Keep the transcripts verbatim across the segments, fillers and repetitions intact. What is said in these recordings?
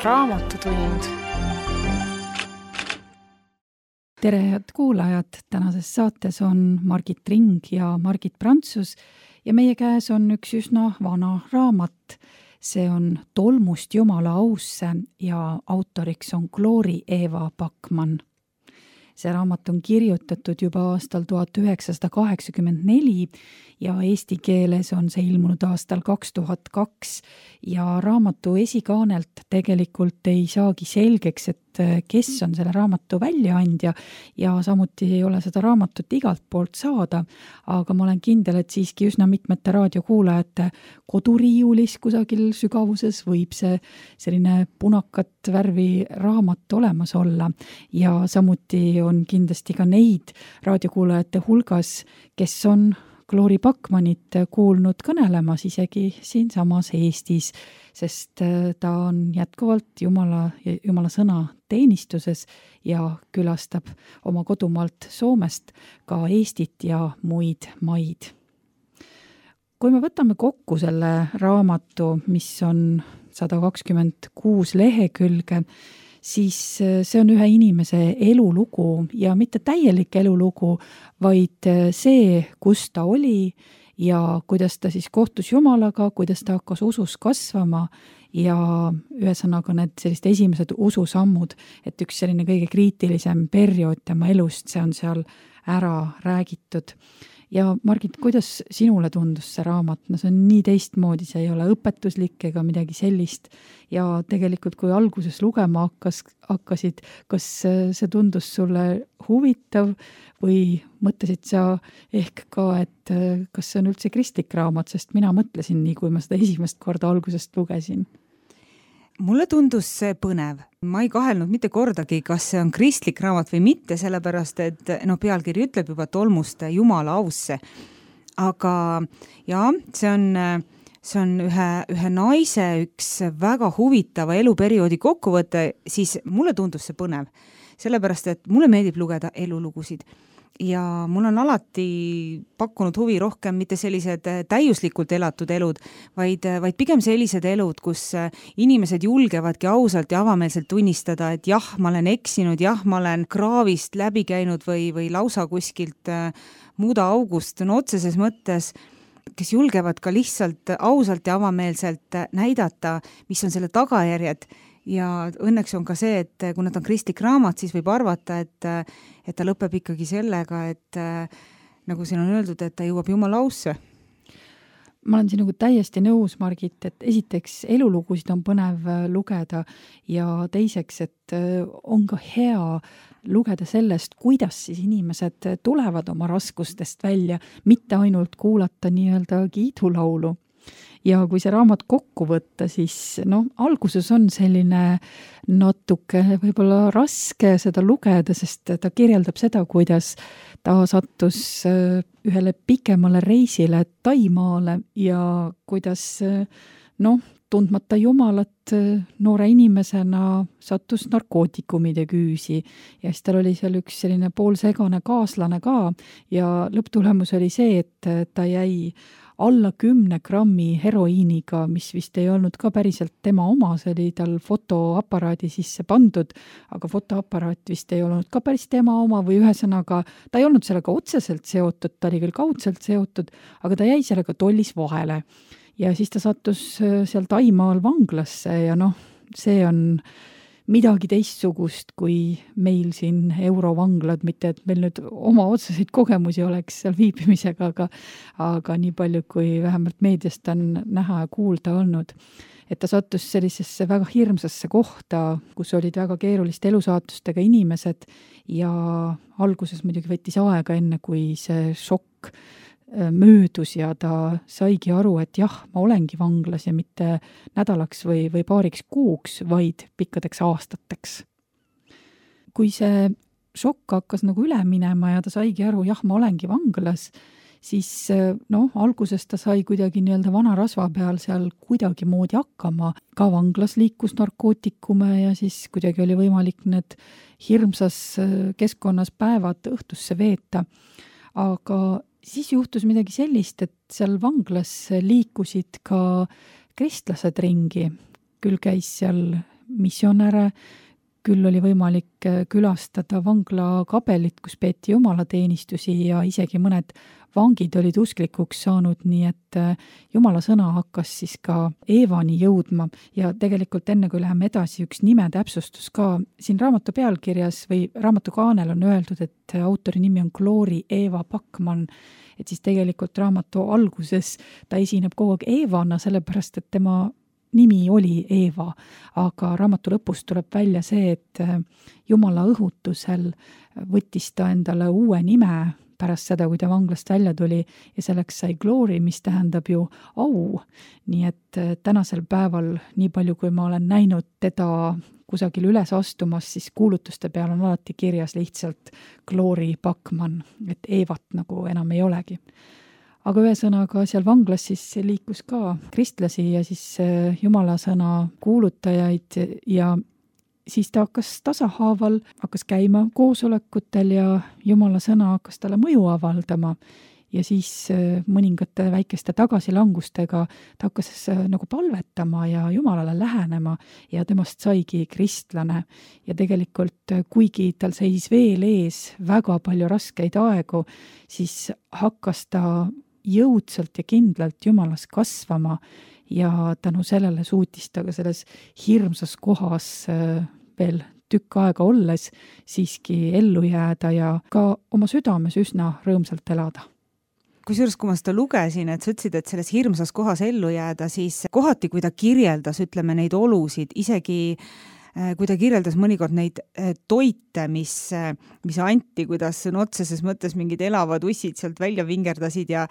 Raamatutund. Tere, head kuulajad! Tänases saates on Margit Ring ja Margit Prantsus ja meie käes on üks üsna vana raamat. See on Tolmust Jumala ausse ja autoriks on Glory Eva Backman. See raamat on kirjutatud juba aastal tuhat üheksasada kaheksakümmend neli ja eesti keeles on see ilmunud aastal kaks tuhat kaks ja raamatu esikaanelt tegelikult ei saagi selgeks, et kes on selle raamatu väljaandja ja samuti ei ole seda raamatut igalt poolt saada, aga ma olen kindel, et siiski üsna mitmete raadiokuulajate koduriiulis kusagil sügavuses võib see selline punakat värvi raamat olemas olla ja samuti on kindlasti ka neid raadiokuulajate hulgas, kes on Glory Backmanit kuulnud kõnelemas isegi siinsamas Eestis, sest ta on jätkuvalt Jumala, Jumala sõna teenistuses ja külastab oma kodumaalt Soomest ka Eestit ja muid maid. Kui me võtame kokku selle raamatu, mis on sada kakskümmend kuus lehekülge, siis see on ühe inimese elulugu ja mitte täielik elulugu, vaid see, kus ta oli ja kuidas ta siis kohtus Jumalaga, kuidas ta hakkas usus kasvama ja ühesõnaga need sellised esimesed ususammud, et üks selline kõige kriitilisem periood tema elust, see on seal ära räägitud. Ja Margit, kuidas sinule tundus see raamat? No see on nii teistmoodi, see ei ole õpetuslik ega midagi sellist. Ja tegelikult, kui alguses lugema hakkas, hakkasid, kas see tundus sulle huvitav või mõtlesid sa ehk ka, et kas see on üldse kristlik raamat, sest mina mõtlesin nii, kui ma seda esimest korda algusest lugesin. Mulle tundus see põnev. Ma ei kahelnud mitte kordagi, kas see on kristlik raamat või mitte, sellepärast, et no, pealkiri ütleb juba Tolmust Jumala ausse. Aga ja, see on, see on ühe, ühe naise üks väga huvitava eluperioodi kokkuvõte, siis mulle tundus see põnev. Sellepärast, et mulle meeldib lugeda elulugusid. Ja mul on alati pakkunud huvi rohkem mitte sellised täiuslikult elatud elud, vaid, vaid pigem sellised elud, kus inimesed julgevadki ausalt ja avameelselt tunnistada, et jah, ma olen eksinud, jah, ma olen kraavist läbi käinud või, või lausa kuskilt muuda august, no otseses mõttes, kes julgevad ka lihtsalt ausalt ja avameelselt näidata, mis on selle tagajärjed. Ja õnneks on ka see, et kui nad on kristlik raamat, siis võib arvata, et, et ta lõpeb ikkagi sellega, et nagu siin on öeldud, et ta jõuab Jumala ausse. Ma olen siin nagu täiesti nõus, Margit, et esiteks elulugusid on põnev lugeda ja teiseks, et on ka hea lugeda sellest, kuidas siis inimesed tulevad oma raskustest välja, mitte ainult kuulata nii-öelda kiidulaulu. Ja kui see raamat kokku võtta, siis no, alguses on selline natuke võib-olla raske seda lugeda, sest ta kirjeldab seda, kuidas ta sattus ühele pikemale reisile Taimaale ja kuidas noh, tundmata Jumalat noore inimesena sattus narkootikumide küüsi ja siis tal oli seal üks selline poolsegane kaaslane ka ja lõpptulemus oli see, et ta jäi alla kümne grammi heroiiniga, mis vist ei olnud ka päriselt tema oma, see oli tal fotoaparaadi sisse pandud, aga fotoaparaat vist ei olnud ka päris tema oma või ühesõnaga, ta ei olnud sellega otseselt seotud, ta oli küll kaudselt seotud, aga ta jäi sellega tollis vahele. Ja siis ta sattus seal Taimaal vanglasse ja noh, see on midagi teistsugust kui meil siin eurovanglad, mitte et meil nüüd oma otseseid kogemusi oleks seal viibimisega, aga, aga nii palju kui vähemalt meediast on näha ja kuulda olnud. Et ta sattus sellisesse väga hirmsasse kohta, kus olid väga keeruliste elusaatustega inimesed ja alguses muidugi võttis aega enne, kui see šokk möödus ja ta saigi aru, et jah, ma olengi vanglas ja mitte nädalaks või, või paariks kuuks, vaid pikkadeks aastateks. Kui see šokk hakkas nagu üle minema ja ta saigi aru, jah, ma olengi vanglas, siis noh, alguses ta sai kuidagi nii-öelda vana rasva peal seal kuidagi moodi hakkama. Ka vanglas liikus narkootikume ja siis kuidagi oli võimalik need hirmsas keskkonnas päevad õhtusse veeta. Aga siis juhtus midagi sellist, et seal vanglas liikusid ka kristlased ringi. Küll käis seal missionäre, küll oli võimalik külastada vangla kabelit, kus peeti jumalateenistusi ja isegi mõned vangid olid usklikuks saanud, nii et jumala sõna hakkas siis ka Eevani jõudma ja tegelikult enne, kui läheme edasi, üks nime täpsustus ka. Siin raamatu pealkirjas või raamatu kaanel on öeldud, et autori nimi on Glory Eva Bachmann, et siis tegelikult raamatu alguses ta esineb kogu aeg Eevana, sellepärast et tema nimi oli Eeva, aga raamatu lõpus tuleb välja see, et jumala õhutusel võttis ta endale uue nime pärast seda, kui ta vanglast välja tuli ja selleks sai Glory, mis tähendab ju au. Nii et tänasel päeval, nii palju kui ma olen näinud teda kusagil üles astumas, siis kuulutuste peal on alati kirjas lihtsalt Glory Bachmann, et Eevat nagu enam ei olegi. Aga ühesõnaga seal vanglas siis liikus ka kristlasi ja siis jumala sõna kuulutajaid ja siis ta hakkas tasahaaval, hakkas käima koosolekutel ja jumala sõna hakkas talle mõju avaldama ja siis mõningate väikeste tagasilangustega ta hakkas nagu palvetama ja jumalale lähenema ja temast saigi kristlane ja tegelikult kuigi tal seis veel ees väga palju raskeid aegu, siis hakkas ta jõudsalt ja kindlalt jumalas kasvama ja tänu sellele suutis ta ka selles hirmsas kohas veel tükk aega olles siiski ellu jääda ja ka oma südames üsna rõõmsalt elada. Kusjuures, kui ma seda lugesin, et sa ütlesid, et selles hirmsas kohas ellu jääda, siis kohati, kui ta kirjeldas, ütleme, neid olusid, isegi kui ta kirjeldas mõnikord neid toite, mis, mis anti, kuidas otseses mõttes mingid elavad ussid sealt välja vingerdasid ja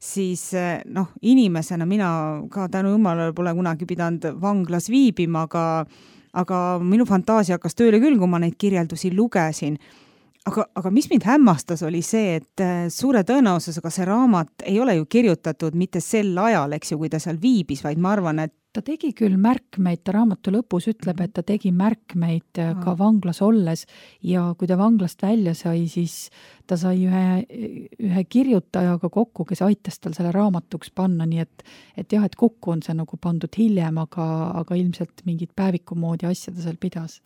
siis noh, inimesena mina ka tänu jumalale pole kunagi pidanud vanglas viibima, aga, aga minu fantaasia hakkas tööle küll, kui ma neid kirjeldusi lugesin. Aga, aga mis mind hämmastas oli see, et suure tõenäosusega see raamat ei ole ju kirjutatud mitte sel ajal, eks ju, kui ta seal viibis, vaid ma arvan, et ta tegi küll märkmeid, ta raamatu lõpus ütleb, et ta tegi märkmeid ka vanglas olles ja kui ta vanglast välja sai, siis ta sai ühe, ühe kirjutajaga kokku, kes aitas tal selle raamatuks panna, nii et, et jah, et kokku on see nagu pandud hiljem, aga, aga ilmselt mingid päeviku moodi asja ta seal pidas.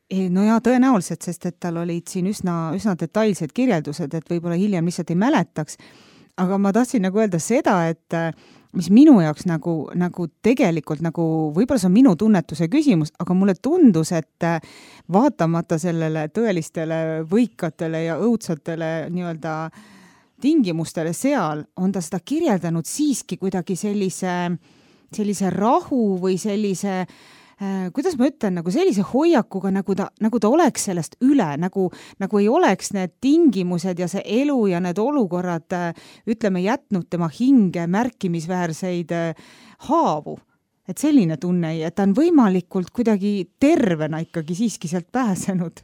No ja tõenäoliselt, sest et tal olid siin üsna, üsna detailsed kirjeldused, et võib-olla hiljem lihtsalt ei mäletaks, aga ma tahtsin nagu öelda seda, et mis minu jaoks nagu, nagu tegelikult nagu, võib-olla see on minu tunnetuse küsimus, aga mulle tundus, et vaatamata sellele tõelistele võikatele ja õudsatele nii-öelda tingimustele seal, on ta seda kirjeldanud siiski kuidagi sellise, sellise rahu või sellise kuidas ma ütlen, nagu sellise hoiakuga, nagu ta, nagu ta oleks sellest üle, nagu, nagu ei oleks need tingimused ja see elu ja need olukorrad, ütleme, jätnud tema hinge märkimisväärseid haavu. Et selline tunne, et ta on võimalikult kuidagi tervena ikkagi siiski sealt pääsenud.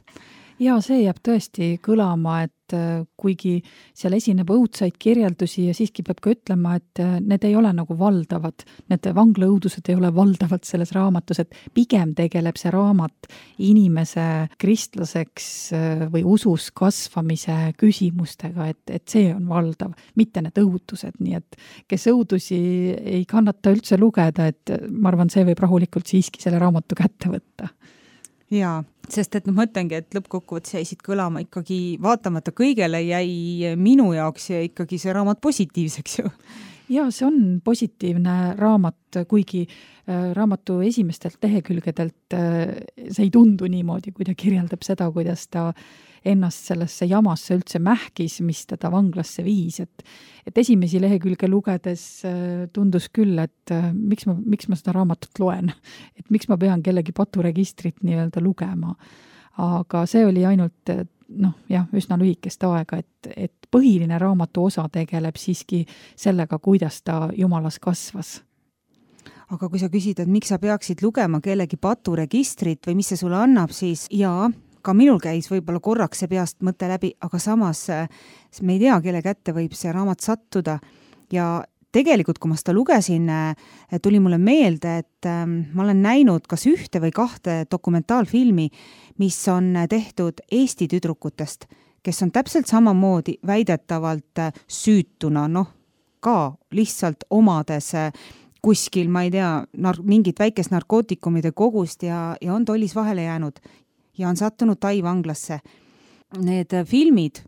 Ja see jääb tõesti kõlama, et kuigi seal esineb õudsaid kirjeldusi ja siiski peab ka ütlema, et need ei ole nagu valdavad, need vanglaõudused ei ole valdavad selles raamatus, et pigem tegeleb see raamat inimese kristlaseks või usus kasvamise küsimustega, et, et see on valdav, mitte need õudused, nii et kes õudusi ei kannata üldse lugeda, et ma arvan, see võib rahulikult siiski selle raamatu kätte võtta. Jaa, sest et ma mõtlengi, et lõppkokkuvõttes jäisid kõlama ikkagi, vaatamata kõigele jäi minu jaoks ja ikkagi see raamat positiivseks ju. Ja see on positiivne raamat, kuigi raamatu esimestelt lehekülgedelt see ei tundu niimoodi, kui ta kirjeldab seda, kuidas ta ennast sellesse jamasse üldse mähkis, mis teda vanglasse viis, et, et esimesi lehekülge lugedes tundus küll, et miks ma, miks ma seda raamatut loen, et miks ma pean kellegi paturegistrit nii-öelda lugema. Aga see oli ainult noh, jah, üsna lühikest aega, et, et põhiline raamatu osa tegeleb siiski sellega, kuidas ta jumalas kasvas. Aga kui sa küsid, et miks sa peaksid lugema kellegi paturegistrit või mis see sulle annab, siis jaa, ka minul käis võib-olla korraks see peast mõte läbi, aga samas me ei tea, kelle kätte võib see raamat sattuda ja tegelikult, kui ma seda lugesin, tuli mulle meelde, et ma olen näinud kas ühte või kahte dokumentaalfilmi, mis on tehtud Eesti tüdrukutest, kes on täpselt samamoodi väidetavalt süütuna, noh, ka lihtsalt omades kuskil, ma ei tea, nar- mingit väikest narkootikumide kogust ja, ja on tollis vahele jäänud ja on sattunud Tai vanglasse. Need filmid,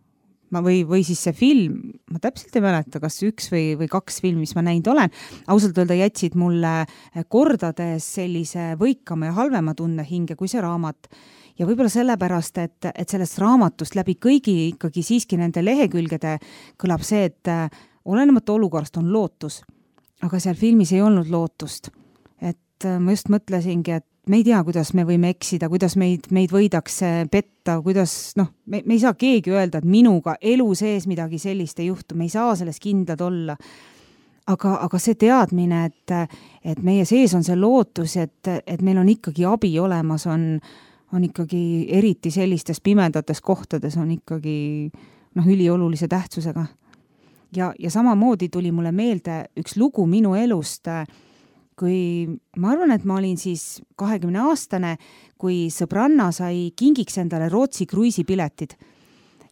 ma või, või siis see film, ma täpselt ei mäleta, kas üks või, või kaks filmi, mis ma näinud olen, ausalt öelda jätsid mulle kordades sellise võikama ja halvema tunne hinge kui see raamat. Ja võib-olla sellepärast, et, et sellest raamatust läbi kõigi ikkagi siiski nende lehekülgede kõlab see, et olenemata olukorrast on lootus. Aga seal filmis ei olnud lootust. Et ma just mõtlesingi, et me ei tea, kuidas me võime eksida, kuidas meid, meid võidakse petta, kuidas, noh, me, me ei saa keegi öelda, et minuga elu sees midagi sellist ei juhtu, me ei saa selles kindlad olla. Aga, aga see teadmine, et, et meie sees on see lootus, et, et meil on ikkagi abi olemas, on, on ikkagi eriti sellistes pimedates kohtades on ikkagi noh, üliolulise tähtsusega. Ja, ja samamoodi tuli mulle meelde üks lugu minu elust, kui ma arvan, et ma olin siis kahekümne aastane, kui sõbranna sai kingiks endale Rootsi kruiisipiletid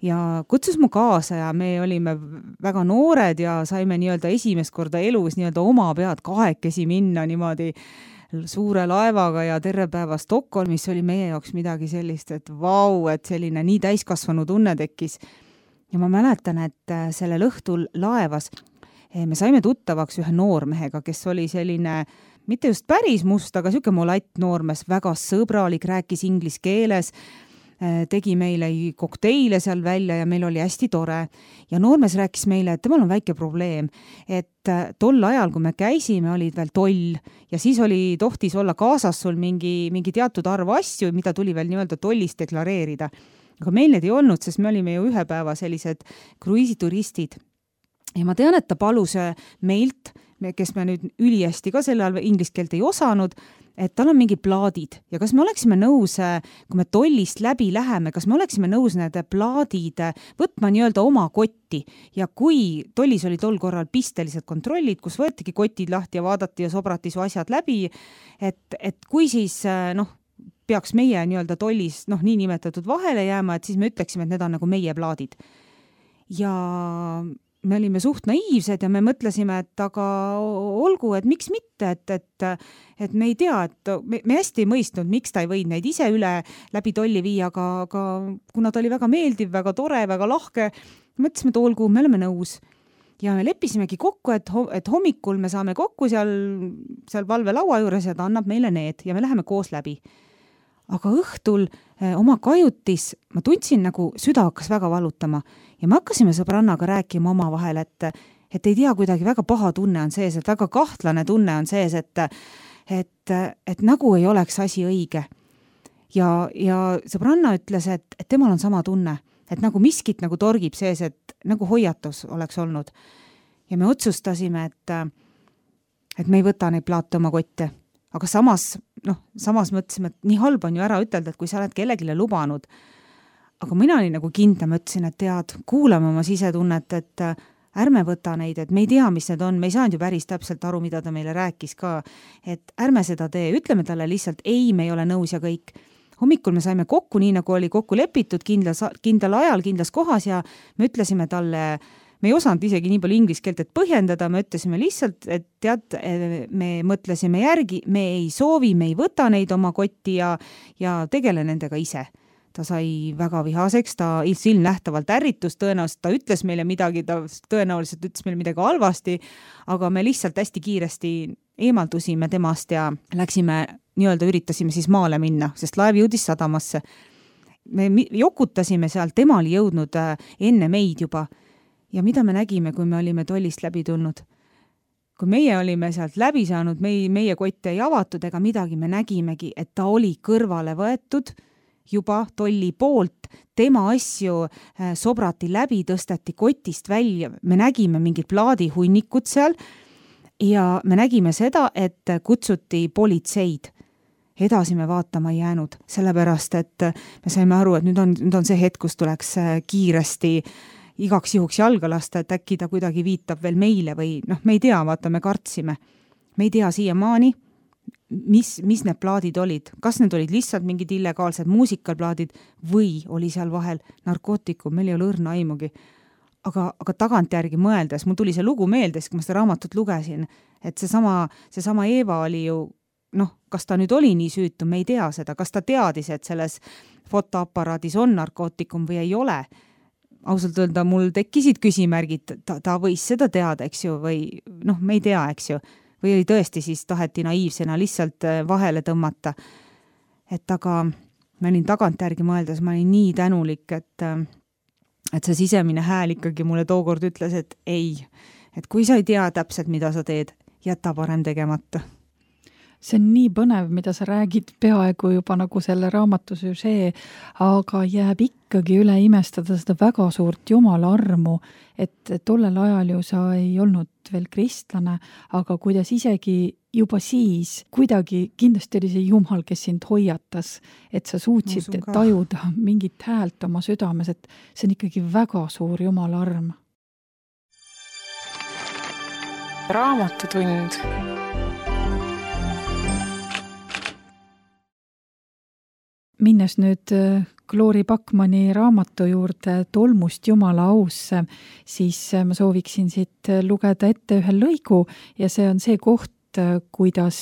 ja kutsus mu kaasa ja me olime väga noored ja saime nii-öelda esimest korda elus nii-öelda oma pead kahekesi minna niimoodi suure laevaga ja terve päeva Stockholmis oli meie jaoks midagi sellist, et vau, et selline nii täiskasvanu tunne tekkis. Ja ma mäletan, et sellel õhtul laevas me saime tuttavaks ühe noormehega, kes oli selline, mitte just päris must, aga siuke molatt noormes, väga sõbralik, rääkis inglis keeles, tegi meile kokteile seal välja ja meil oli hästi tore. Ja noormes rääkis meile, et temal on väike probleem, et tol ajal, kui me käisime, olid veel toll ja siis oli tohtis olla kaasas sul mingi, mingi teatud arv asju, mida tuli veel nii-öelda tollist deklareerida. Aga meil need ei olnud, sest me olime ju ühe päeva sellised kruiisituristid. Ja ma tean, et ta palus meilt, kes me nüüd ülihästi ka selle all inglise keelt ei osanud, et tal on mingi plaadid ja kas me oleksime nõus, kui me tollist läbi läheme, kas me oleksime nõus need plaadid võtma nii-öelda oma kotti ja kui tollis oli tol korral pistelised kontrollid, kus võetigi kotid lahti ja vaadati ja sobrati su asjad läbi, et, et kui siis noh, peaks meie nii-öelda tollis noh, nii nimetatud vahele jääma, et siis me ütleksime, et need on nagu meie plaadid. Ja me olime suht naiivsed ja me mõtlesime, et aga olgu, et miks mitte, et, et, et me ei tea, et me, me hästi ei mõistnud, miks ta ei võinud neid ise üle läbi tolli viia, aga, aga kuna ta oli väga meeldiv, väga tore, väga lahke, mõtlesime, et olgu, me oleme nõus. Ja me leppisimegi kokku, et, et hommikul me saame kokku seal, seal valvelaua juures ja ta annab meile need ja me läheme koos läbi. Aga õhtul eh, oma kajutis ma tundsin nagu süda hakkas väga valutama ja me hakkasime sõbrannaga rääkima oma vahel, et, et ei tea, kuidagi väga paha tunne on sees, et väga kahtlane tunne on sees, et, et, et nagu ei oleks asi õige. Ja, ja sõbranna ütles, et, et temal on sama tunne, et nagu miskit nagu torgib sees, et nagu hoiatus oleks olnud. Ja me otsustasime, et, et me ei võta neid plaate oma kotte. Aga samas, noh, samas mõtlesime, et nii halb on ju ära ütelda, et kui sa oled kellegile lubanud. Aga mina olin nagu kindla, mõtlesin, et tead, kuulame oma sisetunnet, et ärme võta neid, et me ei tea, mis need on, me ei saanud ju päris täpselt aru, mida ta meile rääkis ka, et ärme seda tee, ütleme talle lihtsalt, ei, me ei ole nõus ja kõik. Hommikul me saime kokku, nii nagu oli kokku lepitud kindlas, kindlal ajal, kindlas kohas ja me ütlesime talle, me ei osanud isegi nii palju inglise keelt, et põhjendada, me ütlesime lihtsalt, et tead, me mõtlesime järgi, me ei soovi, me ei võta neid oma kotti ja, ja tegele nendega ise. Ta sai väga vihaseks, ta ilmnähtavalt ärritus, tõenäoliselt ta ütles meile midagi, ta tõenäoliselt ütles meile midagi halvasti, aga me lihtsalt hästi kiiresti eemaldusime temast ja läksime, nii-öelda üritasime siis maale minna, sest laev jõudis sadamasse. Me jokutasime seal, tema oli jõudnud enne meid juba. Ja mida me nägime, kui me olime tollist läbi tulnud? Kui meie olime sealt läbi saanud, meie, meie kotte ei avatud ega midagi, me nägimegi, et ta oli kõrvale võetud juba tolli poolt, tema asju sobrati läbi, tõsteti kotist välja, me nägime mingid plaadihunnikud seal ja me nägime seda, et kutsuti politseid. Edasi me vaatama ei jäänud, sellepärast, et me saime aru, et nüüd on, nüüd on see hetk, kus tuleks kiiresti igaks juhuks jalga lasta, et äkki ta kuidagi viitab veel meile või noh, me ei tea, vaata, me kartsime. Me ei tea siiamaani, mis, mis need plaadid olid. Kas need olid lihtsalt mingid illegaalsed muusikalplaadid või oli seal vahel narkootikum, meil ei ole õrna aimugi. Aga, aga tagantjärgi mõeldes, mul tuli see lugu meeldes, kui ma seda raamatut lugesin, et seesama, seesama Eeva oli ju, noh, kas ta nüüd oli nii süütu, me ei tea seda, kas ta teadis, et selles fotoaparaadis on narkootikum või ei ole. Ausalt öelda, mul tekkisid küsimärgid, ta, ta võis seda teada, eks ju, või noh, me ei tea, eks ju, või oli tõesti siis taheti naiivsena lihtsalt vahele tõmmata. Et aga ma olin tagantjärgi mõeldes, ma olin nii tänulik, et, et see sisemine hääl ikkagi mulle tookord ütles, et ei, et kui sa ei tea täpselt, mida sa teed, jäta parem tegemata. See on nii põnev, mida sa räägid peaaegu juba nagu selle raamatu süžee, aga jääb ikkagi üle imestada seda väga suurt Jumala armu, et tollel ajal ju sa ei olnud veel kristlane, aga kuidas isegi juba siis kuidagi kindlasti oli see Jumal, kes sind hoiatas, et sa suutsid tajuda mingit häält oma südames, et see on ikkagi väga suur Jumala arm. Raamatutund. Minnes nüüd Glory Backmani raamatu juurde Tolmust Jumala ausse, siis ma sooviksin siit lugeda ette ühe lõigu ja see on see koht, kuidas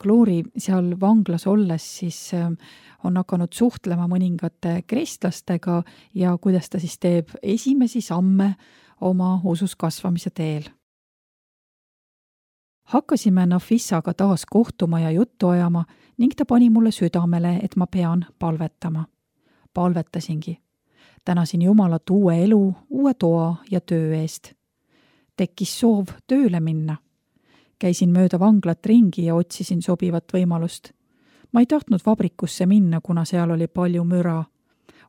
Glory seal vanglas olles siis on hakanud suhtlema mõningate kristlastega ja kuidas ta siis teeb esimesi samme oma usus kasvamise teel. Hakkasime Nafissaga taas kohtuma ja juttu ajama ning ta pani mulle südamele, et ma pean palvetama. Palvetasingi. Tänasin Jumalat uue elu, uue toa ja töö eest. Tekkis soov tööle minna. Käisin mööda vanglat ringi ja otsisin sobivat võimalust. Ma ei tahtnud vabrikusse minna, kuna seal oli palju müra.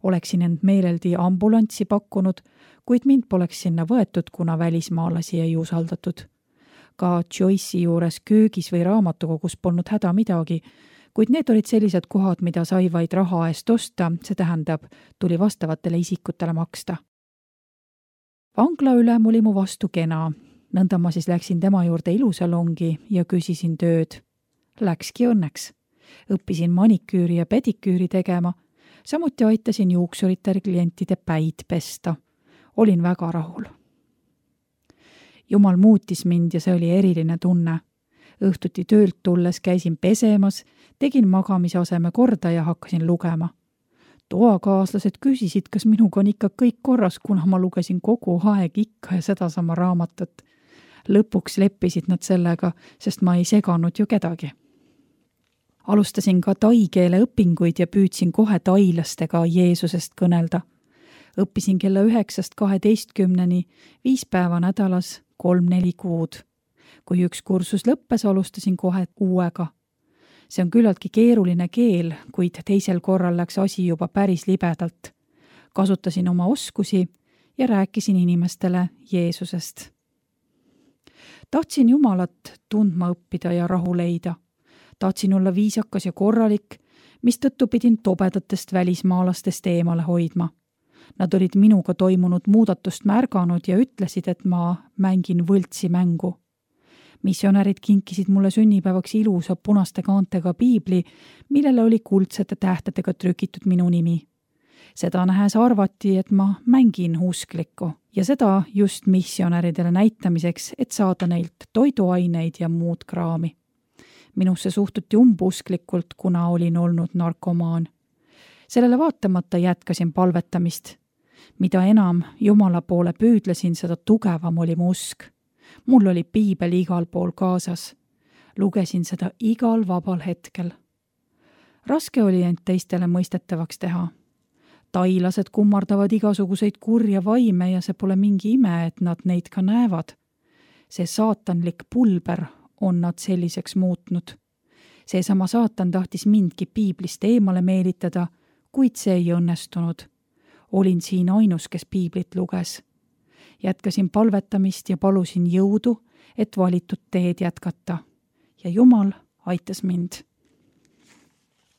Oleksin end meeleldi ambulantsi pakkunud, kuid mind poleks sinna võetud, kuna välismaalasi ei usaldatud. Ka Joyce'i juures köögis või raamatukogus polnud häda midagi, kuid need olid sellised kohad, mida sai vaid raha eest osta, see tähendab, tuli vastavatele isikutele maksta. Vangla ülem oli mu vastu kena, nõnda ma siis läksin tema juurde ilusalongi ja küsisin tööd. Läkski õnneks. Õppisin maniküüri ja pediküüri tegema, samuti aitasin juuksuritel klientide päid pesta. Olin väga rahul. Jumal muutis mind ja see oli eriline tunne. Õhtuti töölt tulles käisin pesemas, tegin magamise aseme korda ja hakkasin lugema. Toakaaslased küsisid, kas minuga on ikka kõik korras, kuna ma lugesin kogu aeg ikka ja sedasama raamatut. Lõpuks leppisid nad sellega, sest ma ei seganud ju kedagi. Alustasin ka tai keele õpinguid ja püüdsin kohe tailastega Jeesusest kõnelda. Õppisin kella üheksast kaheteistkümneni, viis päeva nädalas, kolm-neli kuud. Kui üks kursus lõppes, alustasin kohe uuega. See on küllaltki keeruline keel, kuid teisel korral läks asi juba päris libedalt. Kasutasin oma oskusi ja rääkisin inimestele Jeesusest. Tahtsin Jumalat tundma õppida ja rahu leida. Tahtsin olla viisakas ja korralik, mis tõttu pidin tobedatest välismaalastest eemale hoidma. Nad olid minuga toimunud muudatust märganud ja ütlesid, et ma mängin võltsi mängu. Missionärid kinkisid mulle sünnipäevaks ilusa punaste kaantega piibli, millele oli kuldsete tähtedega trükitud minu nimi. Seda nähes arvati, et ma mängin usklikku ja seda just missionäridele näitamiseks, et saada neilt toiduaineid ja muud kraami. Minusse suhtuti umbusklikult, kuna olin olnud narkomaan. Sellele vaatamata jätkasin palvetamist. Mida enam Jumala poole püüdlesin, seda tugevam oli mu usk. Mul oli piibel igal pool kaasas. Lugesin seda igal vabal hetkel. Raske oli end teistele mõistetavaks teha. Tailased kummardavad igasuguseid kurja vaime ja see pole mingi ime, et nad neid ka näevad. See saatanlik pulber on nad selliseks muutnud. Seesama saatan tahtis mindki piiblist eemale meelitada, kuid see ei õnnestunud. Olin siin ainus, kes piiblit luges. Jätkasin palvetamist ja palusin jõudu, et valitud teed jätkata. Ja Jumal aitas mind.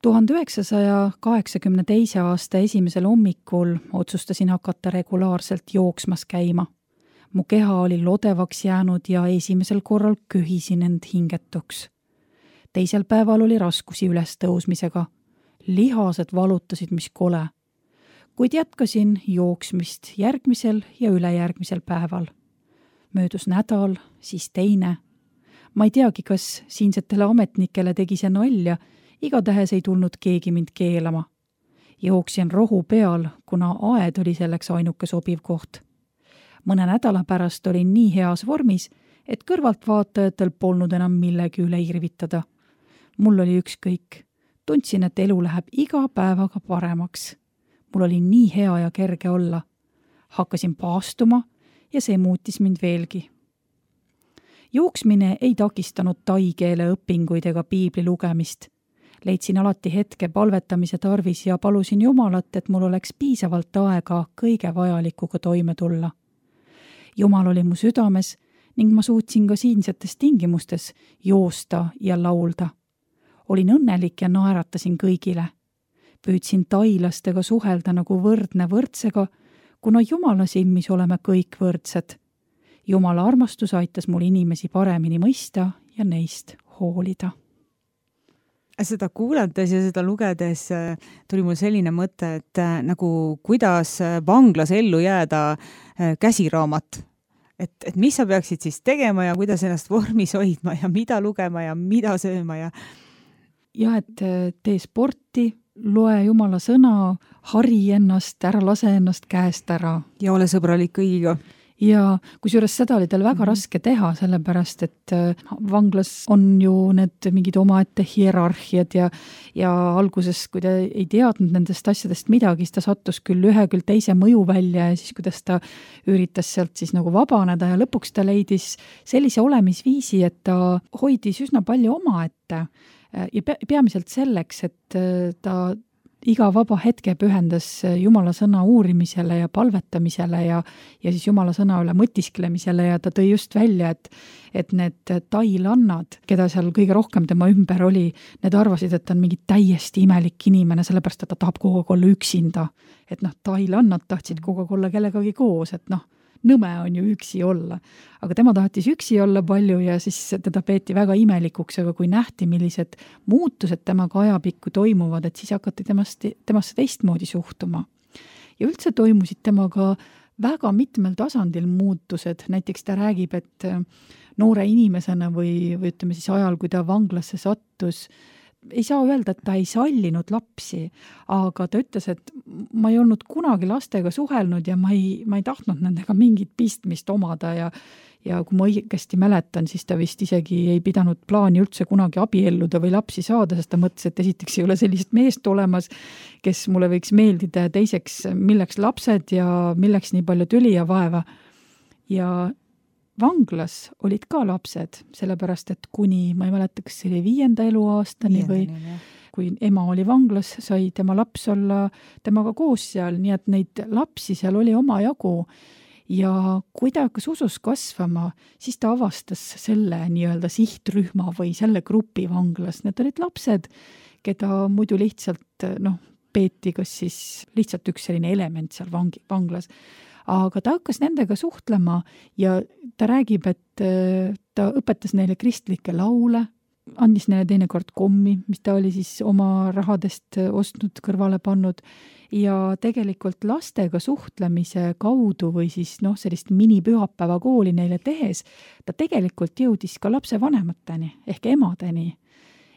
tuhande üheksasaja kaheksakümne teise aasta esimesel hommikul otsustasin hakata regulaarselt jooksmas käima. Mu keha oli lodevaks jäänud ja esimesel korral köhisin end hingetuks. Teisel päeval oli raskusi üles tõusmisega. Lihased valutasid, mis kole. Kuid jätkasin jooksmist järgmisel ja ülejärgmisel päeval. Möödus nädal, siis teine. Ma ei teagi, kas siinsetele ametnikele tegi see nalja, igatahes ei tulnud keegi mind keelama. Jooksin rohu peal, kuna aed oli selleks ainuke sobiv koht. Mõne nädala pärast olin nii heas vormis, et kõrvaltvaatajatel polnud enam millegi üle irvitada. Mul oli ükskõik. Tundsin, et elu läheb iga päevaga paremaks. Mul oli nii hea ja kerge olla. Hakkasin paastuma ja see muutis mind veelgi. Jooksmine ei takistanud tai keele õpinguid ega piibli lugemist. Leidsin alati hetke palvetamise tarvis ja palusin Jumalat, et mul oleks piisavalt aega kõige vajalikuga toime tulla. Jumal oli mu südames ning ma suutsin ka siinsetes tingimustes joosta ja laulda. Olin õnnelik ja naeratasin kõigile. Püüdsin tailastega suhelda nagu võrdne võrdsega, kuna Jumala silmis oleme kõik võrdsed. Jumala armastus aitas mul inimesi paremini mõista ja neist hoolida. Seda kuulates ja seda lugedes tuli mul selline mõte, et nagu kuidas vanglas ellu jääda käsiraamat. Et, et mis sa peaksid siis tegema ja kuidas ennast vormis hoidma ja mida lugema ja mida sööma ja... Ja, et tee sporti, loe Jumala sõna, hari ennast, ära lase ennast käest ära. Ja ole sõbralik kõigiga. Ja kusjuures seda oli tal väga mm-hmm. raske teha, sellepärast, et vanglas on ju need mingid omaette hierarhiad ja, ja alguses, kui ta ei teadnud nendest asjadest midagi, siis ta sattus küll ühe küll teise mõju välja ja siis kuidas ta üritas sealt siis nagu vabaneda ja lõpuks ta leidis sellise olemisviisi, et ta hoidis üsna palju omaette ja peamiselt selleks, et ta iga vaba hetke pühendas Jumala sõna uurimisele ja palvetamisele ja, ja siis Jumala sõna üle mõtisklemisele ja ta tõi just välja, et, et need tailannad, keda seal kõige rohkem tema ümber oli, need arvasid, et ta on mingi täiesti imelik inimene, sellepärast, et ta tahab kogu aeg olla üksinda. Et noh, tailannad tahtsid kogu aeg olla kellegagi koos, et noh, nõme on ju üksi olla. Aga tema tahtis üksi olla palju ja siis teda peeti väga imelikuks, aga kui nähti, millised muutused temaga ajapikku toimuvad, et siis hakati temast, temasse teistmoodi suhtuma. Ja üldse toimusid temaga väga mitmel tasandil muutused. Näiteks ta räägib, et noore inimesena või, või ütleme siis ajal, kui ta vanglasse sattus, ei saa öelda, et ta ei sallinud lapsi, aga ta ütles, et ma ei olnud kunagi lastega suhelnud ja ma ei, ma ei tahtnud nendega mingit pistmist omada ja, ja kui ma õigesti mäletan, siis ta vist isegi ei pidanud plaani üldse kunagi abielluda või lapsi saada, sest ta mõtles, et esiteks ei ole sellist meest olemas, kes mulle võiks meeldida ja teiseks, milleks lapsed ja milleks nii palju tüli ja vaeva. Ja vanglas olid ka lapsed, sellepärast, et kuni, ma ei mäleta, kas see oli viienda eluaastani või kui ema oli vanglas, sai tema laps olla temaga koos seal, nii et neid lapsi seal oli oma jagu. Ja kui ta hakkas usus kasvama, siis ta avastas selle nii-öelda sihtrühma või selle grupi vanglas. Need olid lapsed, keda muidu lihtsalt, noh, peeti kas siis lihtsalt üks selline element seal vangi, vanglas. Aga ta hakkas nendega suhtlema ja ta räägib, et ta õpetas neile kristlikke laule, andis neile teinekord kommi, mis ta oli siis oma rahadest ostnud, kõrvale pannud ja tegelikult lastega suhtlemise kaudu või siis noh, sellist minipühapäeva kooli neile tehes, ta tegelikult jõudis ka lapse vanemateni ehk emadeni.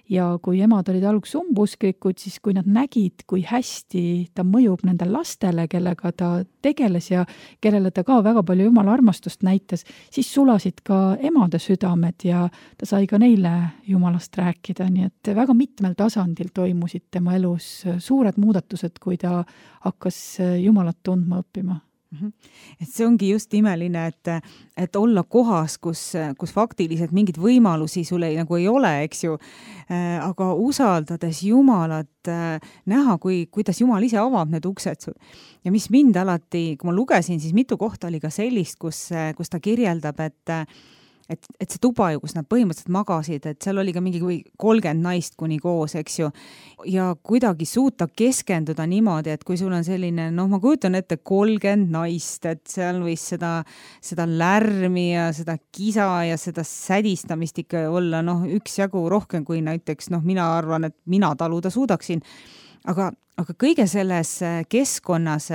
Ja kui emad olid alguses umbusklikud, siis kui nad nägid, kui hästi ta mõjub nendel lastele, kellega ta tegeles ja kellele ta ka väga palju Jumala armastust näitas, siis sulasid ka emade südamed ja ta sai ka neile Jumalast rääkida. Nii et väga mitmel tasandil toimusid tema elus suured muudatused, kui ta hakkas Jumalat tundma õppima. Et see ongi just imeline, et, et olla kohas, kus, kus faktiliselt mingid võimalusi sul ei, nagu ei ole, eks ju, aga usaldades Jumalat, näha, kui, kuidas Jumal ise avab need uksed sul. Ja mis mind alati, kui ma lugesin, siis mitu kohta oli ka sellist, kus, kus ta kirjeldab, et Et, et see tuba ju, kus nad põhimõtteliselt magasid, et seal oli ka mingi kolmkümmend naist kuni koos, eks ju, ja kuidagi suuta keskenduda niimoodi, et kui sul on selline, noh, ma kujutan ette kolmkümmend naist, et seal võis seda, seda lärmi ja seda kisa ja seda sädistamist ikka olla, noh, üks jagu rohkem kui näiteks, noh, mina arvan, et mina taluda suudaksin. aga, aga kõige selles keskkonnas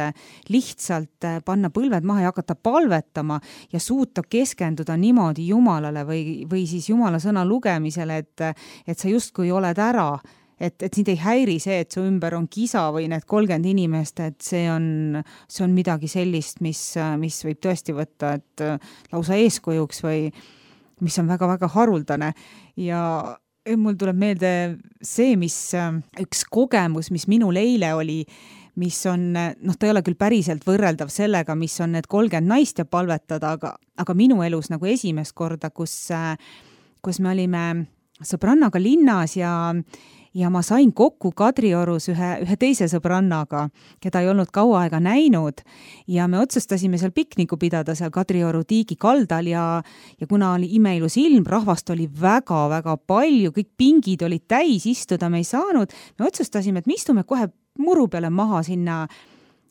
lihtsalt panna põlved maha ja hakata palvetama ja suuta keskenduda niimoodi Jumalale või, või siis Jumala sõna lugemisele, et, et sa justkui oled ära, et, et sind ei häiri see, et su ümber on kisa või need kolmkümmend inimest, et see on, see on midagi sellist, mis, mis võib tõesti võtta, et lausa eeskujuks või mis on väga-väga haruldane ja mul tuleb meelde see, mis üks kogemus, mis minul eile oli, mis on, noh, ta ei ole küll päriselt võrreldav sellega, mis on need kolmkümmend naist ja palvetada, aga, aga minu elus nagu esimest korda, kus, kus me olime sõbrannaga linnas ja ja ma sain kokku Kadriorus ühe, ühe teise sõbrannaga, keda ei olnud kaua aega näinud ja me otsustasime seal pikniku pidada seal Kadrioru tiigi kaldal ja, ja kuna oli imeilus ilm, rahvast oli väga-väga palju, kõik pingid olid täis, istuda me ei saanud, me otsustasime, et me istume kohe muru peale maha sinna,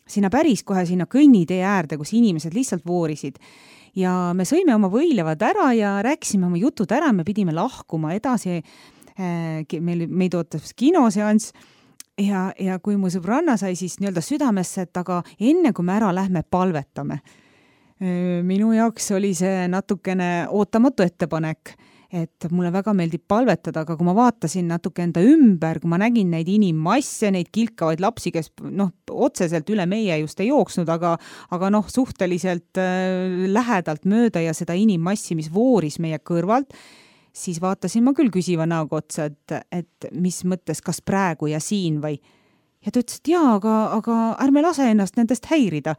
sinna päris kohe sinna kõnnitee äärde, kus inimesed lihtsalt voorisid. Ja me sõime oma võilevad ära ja rääkisime oma jutud ära, me pidime lahkuma edasi. Meil, meid ootas kinoseanss ja, ja kui mu sõbranna sai siis nii-öelda südamesse, et aga enne kui me ära lähme, palvetame. Minu jaoks oli see natukene ootamatu ettepanek, et mulle väga meeldib palvetada, aga kui ma vaatasin natuke enda ümber, kui ma nägin neid inimmasse, neid kilkavaid lapsi, kes noh, otseselt üle meie just ei jooksnud, aga, aga noh, suhteliselt lähedalt mööda ja seda inimmassi, mis vooris meie kõrvalt, siis vaatasin ma küll küsiva näoga otsa, et, et mis mõttes, kas praegu ja siin või. Ja ta ütles, et jaa, aga, aga ärme lase ennast nendest häirida.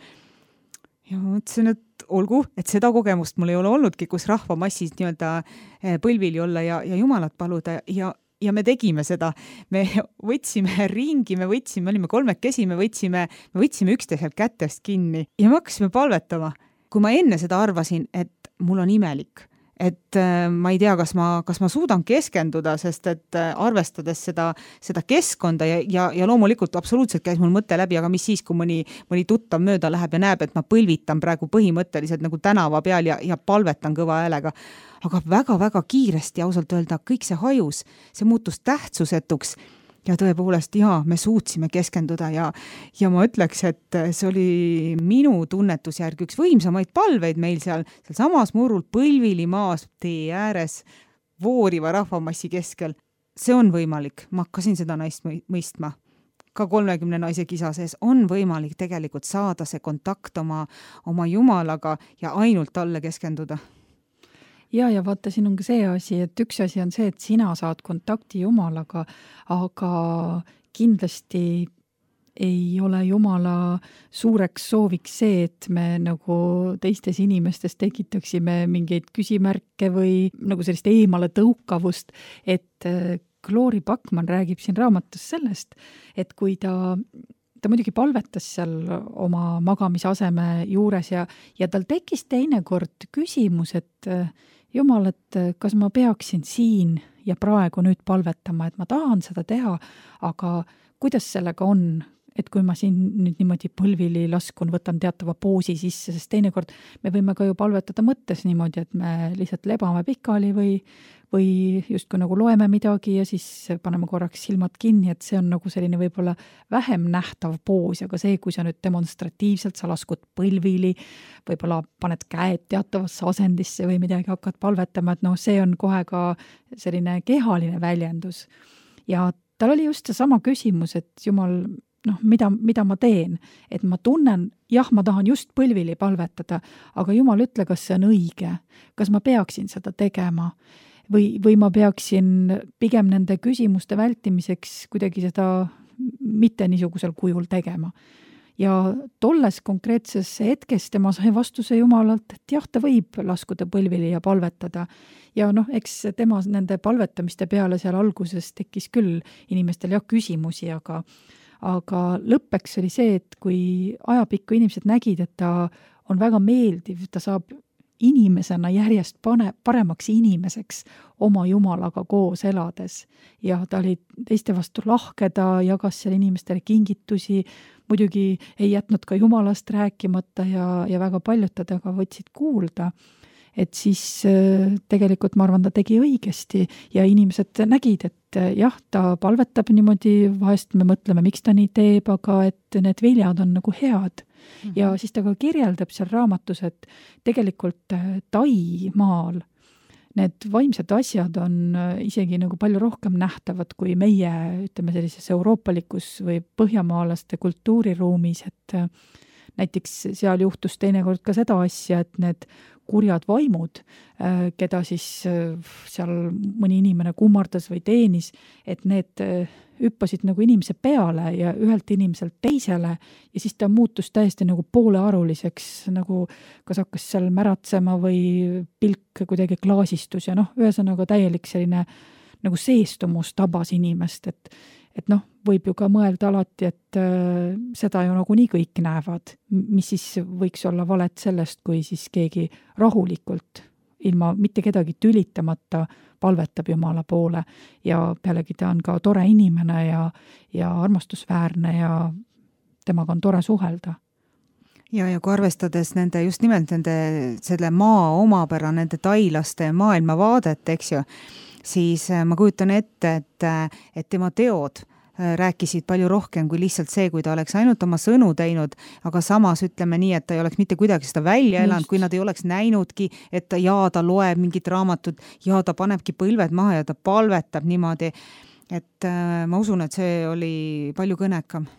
Ja ma mõtlesin, et olgu, et seda kogemust mul ei ole olnudki, kus rahvamassis nii-öelda põlvili olla ja, ja Jumalat paluda ja, ja me tegime seda. Me võtsime ringi, me võtsime, me olime kolmekesi, me võtsime, me võtsime üksteiselt kätest kinni ja me hakkasime palvetama. Kui ma enne seda arvasin, et mul on imelik, et ma ei tea, kas ma, kas ma suudan keskenduda, sest et arvestades seda, seda keskkonda ja, ja, ja loomulikult absoluutselt käis mul mõte läbi, aga mis siis, kui mõni, mõni tuttav mööda läheb ja näeb, et ma põlvitan praegu põhimõtteliselt nagu tänava peal ja, ja palvetan kõva häälega. Aga väga-väga kiiresti ausalt öelda, kõik see hajus, see muutus tähtsusetuks ja tõepoolest, jaa, me suutsime keskenduda ja, ja ma ütleks, et see oli minu tunnetusjärg üks võimsamaid palveid meil seal, seal samas murul põlvili maas tee ääres vooriva rahvamassi keskel. See on võimalik, ma hakkasin seda naist mõistma. Ka kolmekümne naise kisa sees on võimalik tegelikult saada see kontakt oma, oma Jumalaga ja ainult talle keskenduda. Ja, ja vaata, siin on ka see asi, et üks asi on see, et sina saad kontakti Jumalaga, aga kindlasti ei ole Jumala suureks sooviks see, et me nagu teistes inimestes tekitaksime mingeid küsimärke või nagu sellist eemale tõukavust, et Glory Backman räägib siin raamatus sellest, et kui ta ta muidugi palvetas seal oma magamisaseme juures ja, ja tal tekkis teinekord küsimus, et Jumal, et kas ma peaksin siin ja praegu nüüd palvetama, et ma tahan seda teha, aga kuidas sellega on, et kui ma siin nüüd niimoodi põlvili laskun, võtan teatava poosi sisse, sest teinekord me võime ka ju palvetada mõttes niimoodi, et me lihtsalt lebame pikali või, või justkui nagu loeme midagi ja siis paneme korraks silmad kinni, et see on nagu selline võib-olla vähem nähtav poos, aga see, kui sa nüüd demonstratiivselt, sa laskud põlvili, võib-olla paned käed teatavasse asendisse või midagi hakkad palvetama, et noh, see on kohe ka selline kehaline väljendus. Ja tal oli just see sama küsimus, et Jumal, noh, mida, mida ma teen, et ma tunnen, jah, ma tahan just põlvili palvetada, aga Jumal, ütle, kas see on õige, kas ma peaksin seda tegema või, või ma peaksin pigem nende küsimuste vältimiseks kuidagi seda mitte niisugusel kujul tegema. Ja tolles konkreetses hetkes tema sai vastuse Jumalalt, et jah, ta võib laskuda põlvili ja palvetada. Ja noh, eks tema nende palvetamiste peale seal alguses tekkis küll inimestel jah küsimusi, aga aga lõppeks oli see, et kui ajapikku inimesed nägid, et ta on väga meeldiv, ta saab inimesena järjest pane, paremaks inimeseks oma Jumalaga koos elades. Ja ta oli teiste vastu lahke, ta jagas seal inimestele kingitusi, muidugi ei jätnud ka Jumalast rääkimata ja, ja väga paljud tadaga võtsid kuulda. et siis tegelikult ma arvan, ta tegi õigesti ja inimesed nägid, et jah, ta palvetab niimoodi, vahest me mõtleme, miks ta nii teeb, aga et need viljad on nagu head. Mm-hmm. Ja siis ta ka kirjeldab seal raamatus, et tegelikult Taimaal need vaimsed asjad on isegi nagu palju rohkem nähtavad kui meie, ütleme sellises euroopalikus või põhjamaalaste kultuuriruumis, et näiteks seal juhtus teinekord ka seda asja, et need kurjad vaimud, keda siis seal mõni inimene kummardas või teenis, et need hüppasid nagu inimese peale ja ühelt inimeselt teisele ja siis ta muutus täiesti nagu poolearuliseks, nagu kas hakkas seal märatsema või pilk kuidagi klaasistus ja noh, ühesõnaga täielik selline nagu seestumus tabas inimest, et et noh, võib ju ka mõelda alati, et äh, seda ju nagu nii kõik näevad, mis siis võiks olla valet sellest, kui siis keegi rahulikult, ilma mitte kedagi tülitamata palvetab Jumala poole ja pealegi ta on ka tore inimene ja, ja armastusväärne ja temaga on tore suhelda. Ja, ja kui arvestades nende, just nimelt nende, selle maa omapära, nende tailaste maailmavaadet, eks ju, siis ma kujutan ette, et, et tema teod rääkisid palju rohkem kui lihtsalt see, kui ta oleks ainult oma sõnu teinud, aga samas ütleme nii, et ta ei oleks mitte kuidagi seda välja elanud, kui nad ei oleks näinudki, et ta, ja ta loeb mingit raamatut ja ta panebki põlved maha ja ta palvetab niimoodi, et äh, ma usun, et see oli palju kõnekam.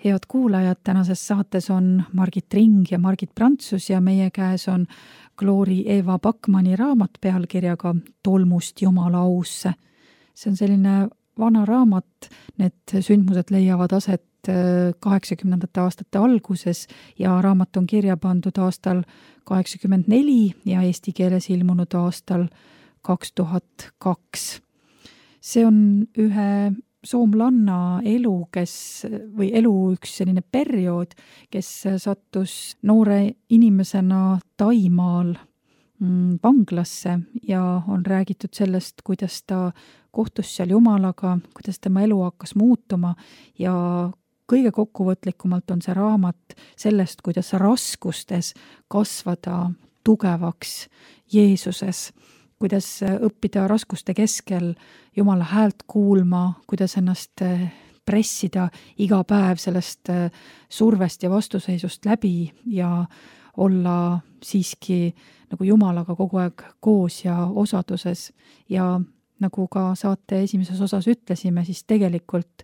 Head kuulajad, tänases saates on Margit Ring ja Margit Prantsus ja meie käes on Gloori Eva Backmani raamat pealkirjaga Tolmust Jumala ausse. See on selline vana raamat, need sündmused leiavad aset kaheksakümnendate aastate alguses ja raamat on kirja pandud aastal kaheksakümmend neli ja eesti keeles ilmunud aastal kaks tuhat kaks. See on ühe soomlanna elu, kes, või elu üks selline periood, kes sattus noore inimesena Taimaal vanglasse ja on räägitud sellest, kuidas ta kohtus seal Jumalaga, kuidas tema elu hakkas muutuma ja kõige kokkuvõtlikumalt on see raamat sellest, kuidas raskustes kasvada tugevaks Jeesuses, kuidas õppida raskuste keskel Jumala häält kuulma, kuidas ennast pressida iga päev sellest survest ja vastuseisust läbi ja olla siiski nagu Jumalaga kogu aeg koos ja osaduses. Ja nagu ka saate esimeses osas ütlesime, siis tegelikult,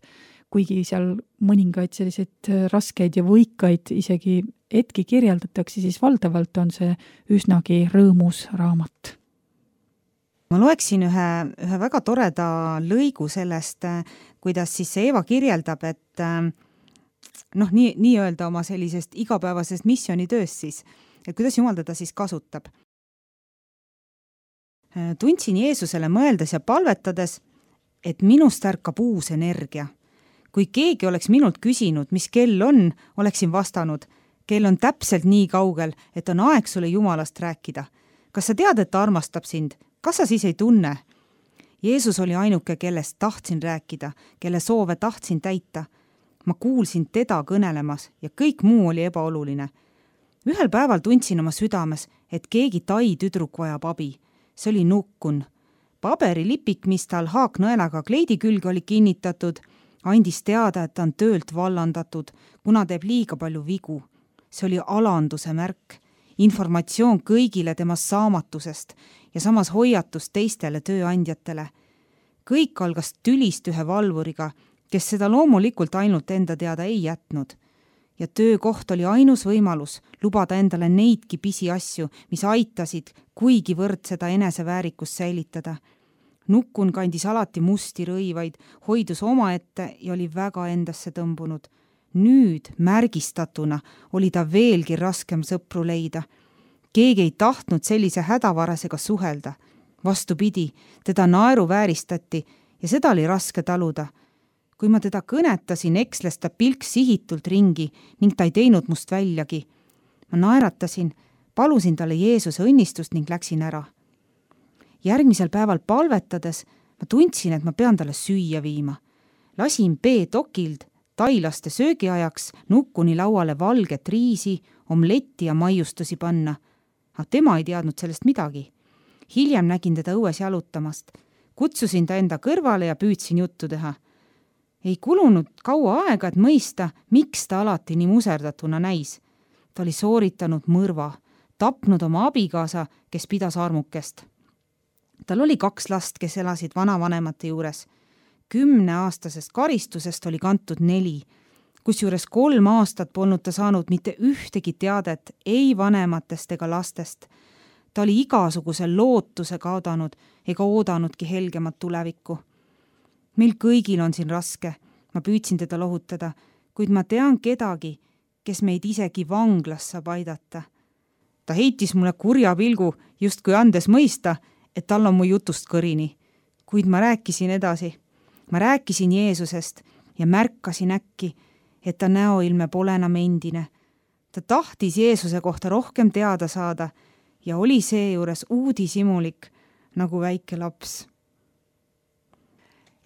kuigi seal mõningaid selliseid raskeid ja võikaid isegi hetki kirjeldatakse, siis valdavalt on see üsnagi rõõmus raamat. Ma loeksin ühe, ühe väga toreda lõigu sellest, kuidas siis see Eva kirjeldab, et noh, nii, nii öelda oma sellisest igapäevasest missioonitööst siis, et kuidas Jumal teda siis kasutab. Tundsin Jeesusele mõeldes ja palvetades, et minust ärkab uus energia. Kui keegi oleks minult küsinud, mis kell on, oleksin vastanud, kell on täpselt nii kaugel, et on aeg sulle Jumalast rääkida. Kas sa tead, et ta armastab sind? Kas sa siis ei tunne? Jeesus oli ainuke, kellest tahtsin rääkida, kelle soove tahtsin täita. Ma kuulsin teda kõnelemas ja kõik muu oli ebaoluline. Ühel päeval tundsin oma südames, et keegi tai tüdruk vajab abi. See oli Nukkun. Paberilipik, mis tal haaknõelaga kleidi külge oli kinnitatud, andis teada, et ta on töölt vallandatud, kuna teeb liiga palju vigu. See oli alanduse märk. Informatsioon kõigile temast saamatusest ja samas hoiatus teistele tööandjatele. Kõik algas tülist ühe valvuriga, kes seda loomulikult ainult enda teada ei jätnud. Ja töökoht oli ainus võimalus lubada endale neidki pisiasju, mis aitasid kuigivõrd seda eneseväärikust säilitada. Nukkun kandis alati musti rõivaid, hoidus omaette ja oli väga endasse tõmbunud. Nüüd märgistatuna oli ta veelgi raskem sõpru leida. Keegi ei tahtnud sellise hädavarasega suhelda. Vastupidi, teda naeru vääristati ja seda oli raske taluda. Kui ma teda kõnetasin, eksles ta pilk sihitult ringi ning ta ei teinud must väljagi. Ma naeratasin, palusin talle Jeesuse õnnistust ning läksin ära. Järgmisel päeval palvetades ma tundsin, et ma pean talle süüa viima. Lasin B-tokild tailaste söögiajaks Nukkuni lauale valget riisi, omletti ja maiustusi panna. Aga tema ei teadnud sellest midagi. Hiljem nägin teda õues jalutamast. Kutsusin ta enda kõrvale ja püüdsin juttu teha. Ei kulunud kaua aega, et mõista, miks ta alati nii muserdatuna näis. Ta oli sooritanud mõrva, tapnud oma abikaasa, kes pidas armukest. Tal oli kaks last, kes elasid vanavanemate juures. Kümneaastasest karistusest oli kantud neli, kusjuures kolm aastat polnud ta saanud mitte ühtegi teadet ei vanematest ega lastest. Ta oli igasuguse lootuse kaodanud ega oodanudki helgemat tulevikku. Meil kõigil on siin raske, ma püüdsin teda lohutada, kuid ma tean kedagi, kes meid isegi vanglas saab aidata. Ta heitis mulle kurja pilgu, just kui andes mõista, et tal on mu jutust kõrini, kuid ma rääkisin edasi. Ma rääkisin Jeesusest ja märkasin äkki, et ta näoilme pole enam endine. Ta tahtis Jeesuse kohta rohkem teada saada ja oli seejuures uudishimulik nagu väike laps.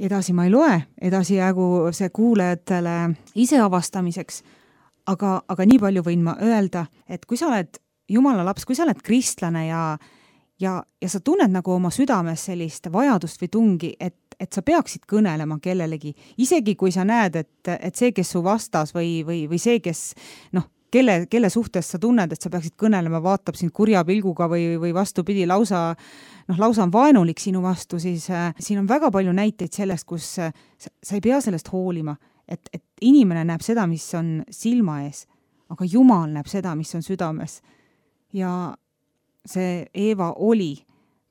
Edasi ma ei loe, edasi jäägu see kuulajatele ise avastamiseks, aga, aga nii palju võin ma öelda, et kui sa oled Jumala laps, kui sa oled kristlane ja, ja, ja sa tunned nagu oma südames sellist vajadust või tungi, et, et sa peaksid kõnelema kellelegi, isegi kui sa näed, et, et see, kes su vastas või, või, või see, kes noh, kelle, kelle suhtes sa tunned, et sa peaksid kõnelema, vaatab sind kurja pilguga või, või vastupidi lausa, noh, lausa on vaenulik sinu vastu, siis äh, siin on väga palju näiteid sellest, kus äh, sa, sa ei pea sellest hoolima, et, et inimene näeb seda, mis on silma ees, aga Jumal näeb seda, mis on südames. Ja see Eeva oli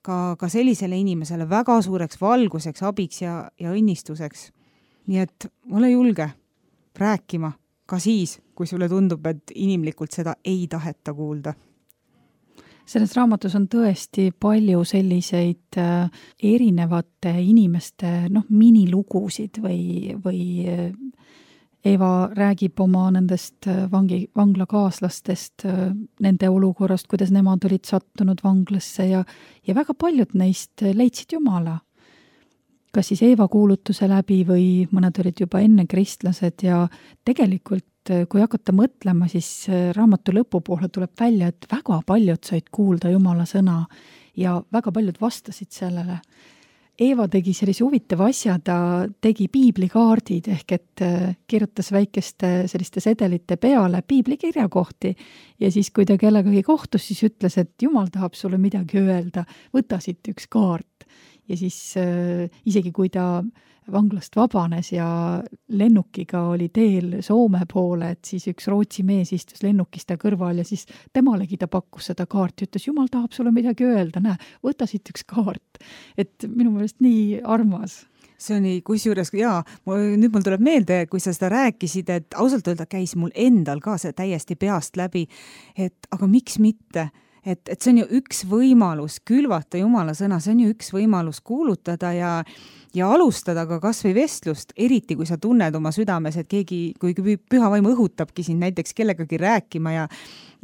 ka, ka sellisele inimesele väga suureks valguseks, abiks ja, ja õnnistuseks. Nii et ole julge rääkima ka siis, kui sulle tundub, et inimlikult seda ei taheta kuulda. Selles raamatus on tõesti palju selliseid äh, erinevate inimeste noh, minilugusid või, või äh, Eeva räägib oma nendest vangi, vanglakaaslastest, nende olukorrast, kuidas nemad olid sattunud vanglasse ja, ja väga paljud neist leidsid Jumala. Kas siis Eeva kuulutuse läbi või mõned olid juba enne kristlased ja tegelikult, kui hakata mõtlema, siis raamatu lõpupoole tuleb välja, et väga paljud said kuulda Jumala sõna ja väga paljud vastasid sellele. Eeva tegi sellise huvitava asja, ta tegi piiblikaardid ehk et kirjutas väikeste selliste sedelite peale piiblikirjakohti ja siis, kui ta kellegagi kohtus, siis ütles, et Jumal tahab sulle midagi öelda, võta siit üks kaart. Ja siis äh, isegi kui ta vanglast vabanes ja lennukiga oli teel Soome poole, et siis üks Rootsi mees istus lennukista kõrval ja siis temalegi ta pakkus seda kaarti, ütles, Jumal tahab sulle midagi öelda, näe, võta siit üks kaart. Et minu meelest nii armas. See oli kusjuures, jaa, nüüd mul tuleb meelde, kui sa seda rääkisid, et ausalt öelda käis mul endal ka see täiesti peast läbi, et aga miks mitte? Et, et see on ju üks võimalus külvata Jumala sõna, see on ju üks võimalus kuulutada ja, ja alustada ka kas või vestlust, eriti kui sa tunned oma südames, et keegi, kui püha vaim õhutabki sind näiteks kellegagi rääkima ja,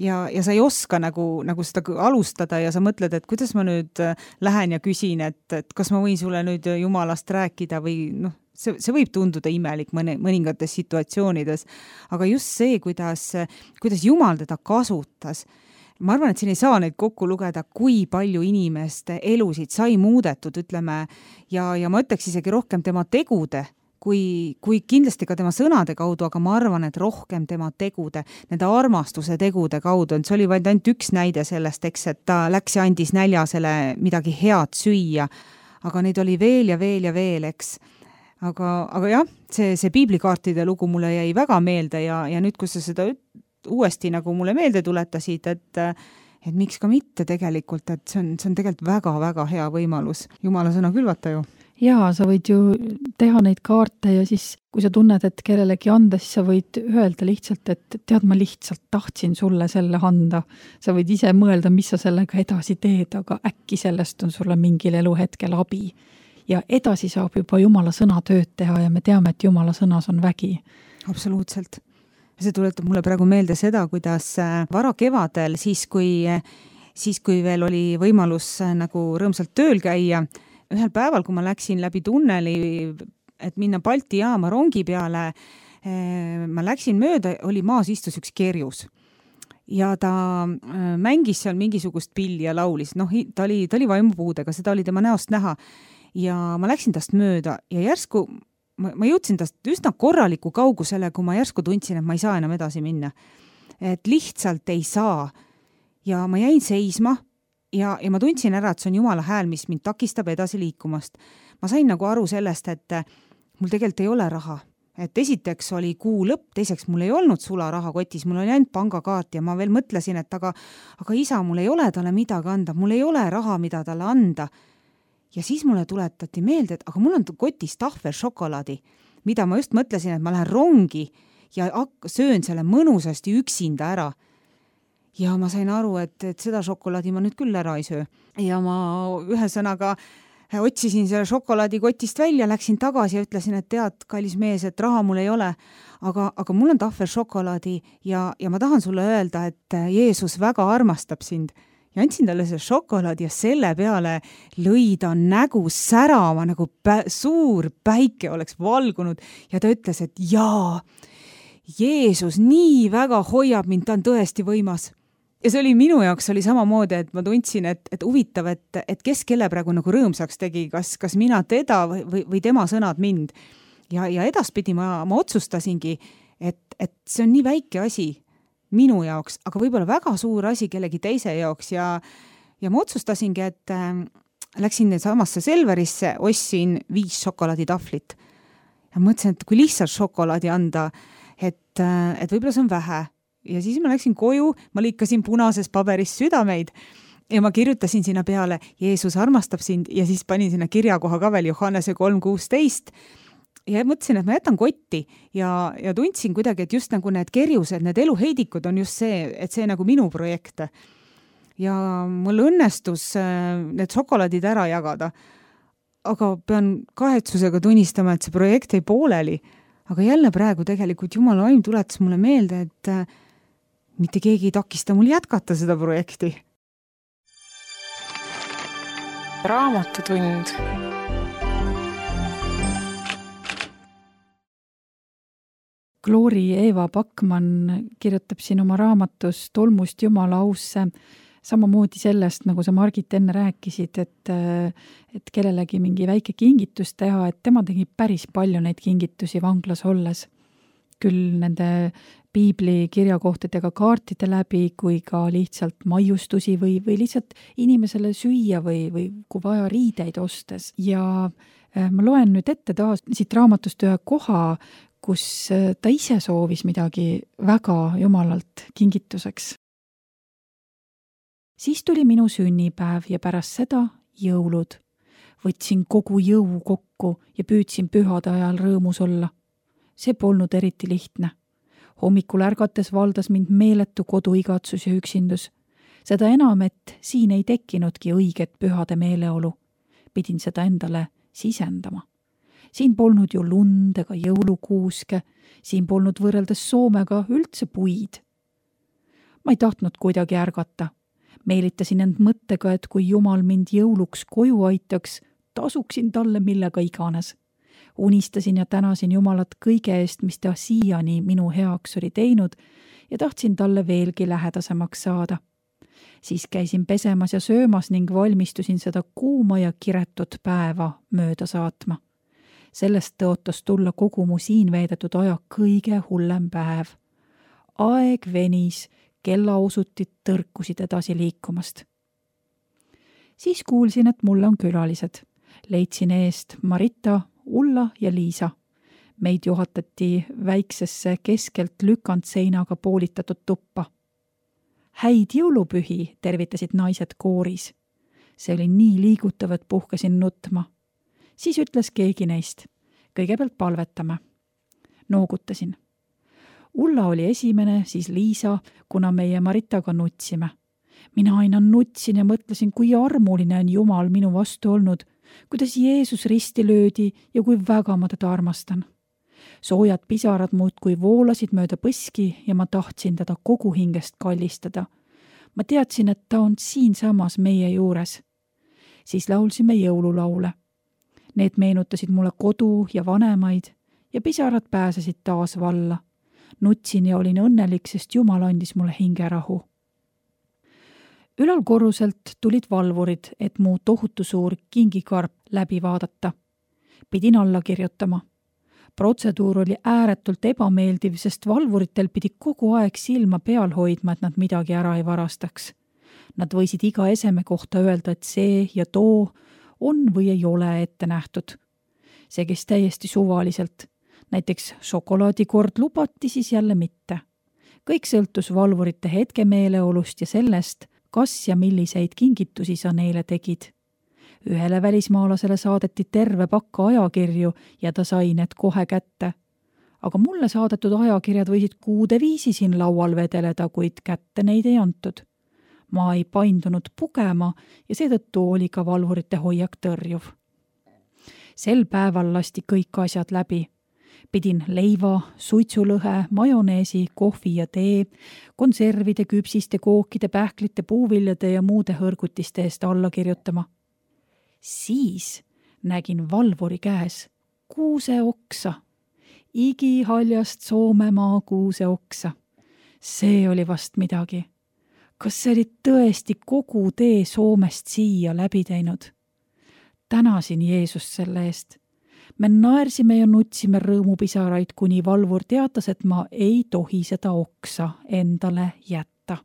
ja, ja sa ei oska nagu, nagu seda alustada ja sa mõtled, et kuidas ma nüüd lähen ja küsin, et, et kas ma võin sulle nüüd Jumalast rääkida või noh, see, see võib tunduda imelik mõne, mõningates situatsioonides, aga just see, kuidas, kuidas Jumal teda kasutas. Ma arvan, et siin ei saa neid kokku lugeda, kui palju inimeste elusid sai muudetud, ütleme, ja, ja ma ütleks isegi rohkem tema tegude, kui, kui kindlasti ka tema sõnade kaudu, aga ma arvan, et rohkem tema tegude, nende armastuse tegude kaudu. See oli vaid ainult üks näide sellest, eks, et ta läks ja andis näljasele midagi head süüa, aga neid oli veel ja veel ja veel, eks. Aga, aga jah, see, see piiblikaartide lugu mulle jäi väga meelde ja, ja nüüd, kui sa seda uuesti nagu mulle meelde tuletasid, et, et miks ka mitte tegelikult, et see on, see on tegelikult väga-väga hea võimalus Jumala sõna külvata ju. Jaa, sa võid ju teha neid kaarte ja siis, kui sa tunned, et kellelegi anda, siis sa võid öelda lihtsalt, et tead, ma lihtsalt tahtsin sulle selle anda. Sa võid ise mõelda, mis sa sellega edasi teed, aga äkki sellest on sulle mingil eluhetkel abi. Ja edasi saab juba Jumala sõna tööd teha ja me teame, et Jumala sõnas on vägi. Absoluutselt. See tuletab mulle praegu meelde seda, kuidas vara kevadel, siis kui, siis kui veel oli võimalus nagu rõõmsalt tööl käia, ühel päeval, kui ma läksin läbi tunneli, et minna Balti jaama rongi peale, ma läksin mööda, oli maas istus üks kerjus. Ja ta mängis seal mingisugust pilli ja laulis. Noh, ta oli, ta oli vaimupuudega, seda oli tema näost näha. Ja ma läksin tast mööda ja järsku Ma, ma jõudsin tast üsna korraliku kaugusele, kui ma järsku tundsin, et ma ei saa enam edasi minna. Et lihtsalt ei saa. Ja ma jäin seisma ja, ja ma tundsin ära, et see on Jumala hääl, mis mind takistab edasi liikumast. Ma sain nagu aru sellest, et mul tegelikult ei ole raha. Et esiteks oli kuu lõpp, teiseks mul ei olnud sula raha kotis, mul oli ainult pangakaart ja ma veel mõtlesin, et aga, aga isa, mul ei ole talle midagi anda, mul ei ole raha, mida talle anda. Ja siis mulle tuletati meelde, et aga mul on kotis tahvel šokolaadi, mida ma just mõtlesin, et ma lähen rongi ja söön selle mõnusasti üksinda ära. Ja ma sain aru, et, et seda šokolaadi ma nüüd küll ära ei söö. Ja ma ühe sõnaga otsisin selle šokolaadi kotist välja, läksin tagasi ja ütlesin, et tead, kallis mees, et raha mul ei ole, aga, aga mul on tahvel šokolaadi ja, ja ma tahan sulle öelda, et Jeesus väga armastab sind. Ja andsin talle see šokolaad ja selle peale lõi ta nägu särama, nagu pä- suur päike oleks valgunud ja ta ütles, et jaa, Jeesus nii väga hoiab mind, ta on tõesti võimas. Ja see oli minu jaoks oli samamoodi, et ma tundsin, et, et huvitav, et, et kes kelle praegu nagu rõõmsaks tegi, kas, kas mina teda või, või, või tema sõnad mind. Ja, ja edaspidi ma, ma otsustasingi, et, et see on nii väike asi minu jaoks, aga võib-olla väga suur asi kellegi teise jaoks ja, ja ma otsustasingi, et äh, läksin samasse Selverisse, ostsin viis šokolaaditahvlit. ja mõtlesin, et kui lihtsalt šokolaadi anda, et, et võib-olla see on vähe. Ja siis ma läksin koju, ma liikasin punases paberis südameid ja ma kirjutasin sinna peale, Jeesus armastab sind ja siis panin sinna kirjakoha ka veel Johannese kolm kuusteist ja mõtlesin, et ma jätan kotti ja, ja tundsin kuidagi, et just nagu need kerjused, need eluheidikud on just see, et see nagu minu projekt. Ja mul õnnestus need šokolaadid ära jagada, aga pean kahetsusega tunnistama, et see projekt ei pooleli. Aga jälle praegu tegelikult Jumala vaim tuletas mulle meelde, et mitte keegi ei takista mul jätkata seda projekti. Raamatutund. Gloori Eeva Backman kirjutab siin oma raamatus Tolmust Jumala ausse samamoodi sellest, nagu sa Margit enne rääkisid, et, et kellelegi mingi väike kingitus teha, et tema tegi päris palju neid kingitusi vanglas olles. Küll nende piibli kirjakohtadega kaartide läbi, kui ka lihtsalt maiustusi või, või lihtsalt inimesele süüa või, või kui vaja riideid ostes. Ja ma loen nüüd ette taas siit raamatust ühe koha, kus ta ise soovis midagi väga Jumalalt kingituseks. Siis tuli minu sünnipäev ja pärast seda jõulud. Võtsin kogu jõu kokku ja püüdsin pühade ajal rõõmus olla. See polnud eriti lihtne. Hommikul ärgates valdas mind meeletu koduigatsus ja üksindus. Seda enam, et siin ei tekkinudki õiget pühade meeleolu. Pidin seda endale sisendama. Siin polnud ju lund ega jõulukuuske, siin polnud võrreldes Soomega üldse puid. Ma ei tahtnud kuidagi ärgata. Meelitasin end mõttega, et kui Jumal mind jõuluks koju aitaks, tasuksin talle millega iganes. Unistasin ja tänasin Jumalat kõige eest, mis ta siiani minu heaks oli teinud ja tahtsin talle veelgi lähedasemaks saada. Siis käisin pesemas ja söömas ning valmistusin seda kuuma ja kiretut päeva mööda saatma. Sellest tõotas tulla kogu mu siin veedetud aja kõige hullem päev. Aeg venis, kellaosutid tõrkusid edasi liikumast. Siis kuulsin, et mulle on külalised. Leidsin eest Marita, Ulla ja Liisa. Meid juhatati väiksesse keskelt lükanud seinaga poolitatud tuppa. Häid jõulupühi, tervitasid naised kooris. See oli nii liigutav, et puhkesin nutma. Siis ütles keegi neist. Kõigepealt palvetame. Noogutasin. Ulla oli esimene, siis Liisa, kuna meie Maritaga nutsime. Mina aina nutsin ja mõtlesin, kui armuline on Jumal minu vastu olnud, kuidas Jeesus risti löödi ja kui väga ma teda armastan. Soojad pisarad muudkui voolasid mööda põski ja ma tahtsin teda kogu hingest kallistada. Ma teadsin, et ta on siinsamas meie juures. Siis laulsime jõululaule. Need meenutasid mulle kodu ja vanemaid ja pisarad pääsesid taas valla. Nutsin ja olin õnnelik, sest Jumal andis mulle hingerahu. Ülal korruselt tulid valvurid, et mu tohutu suur kingikarp läbi vaadata. Pidin alla kirjutama. Protseduur oli ääretult ebameeldiv, sest valvuritel pidi kogu aeg silma peal hoidma, et nad midagi ära ei varastaks. Nad võisid iga eseme kohta öelda, et see ja too on või ei ole ette nähtud. See käis täiesti suvaliselt. Näiteks šokolaadikord lubati, siis jälle mitte. Kõik sõltus valvurite hetkemeeleolust ja sellest, kas ja milliseid kingitusi sa neile tegid. Ühele välismaalasele saadeti terve pakka ajakirju ja ta sai need kohe kätte. Aga mulle saadetud ajakirjad võisid kuude viisi siin laual vedeleda, kuid kätte neid ei antud. Ma ei paindunud pugema ja seetõttu oli ka valvurite hoiak tõrjuv. Sel päeval lasti kõik asjad läbi. Pidin leiva, suitsulõhe, majoneesi, kohvi ja tee, konservide, küpsiste, kookide, pähklite, puuviljade ja muude hõrgutiste eest alla kirjutama. Siis nägin valvuri käes kuuse oksa. Igihaljast Soomemaa kuuse oksa. See oli vast midagi. Kas see oli tõesti kogu tee Soomest siia läbi teinud? Tänasin Jeesust selle eest. Me naersime ja nutsime rõõmupisaraid, kuni valvur teatas, et ma ei tohi seda oksa endale jätta.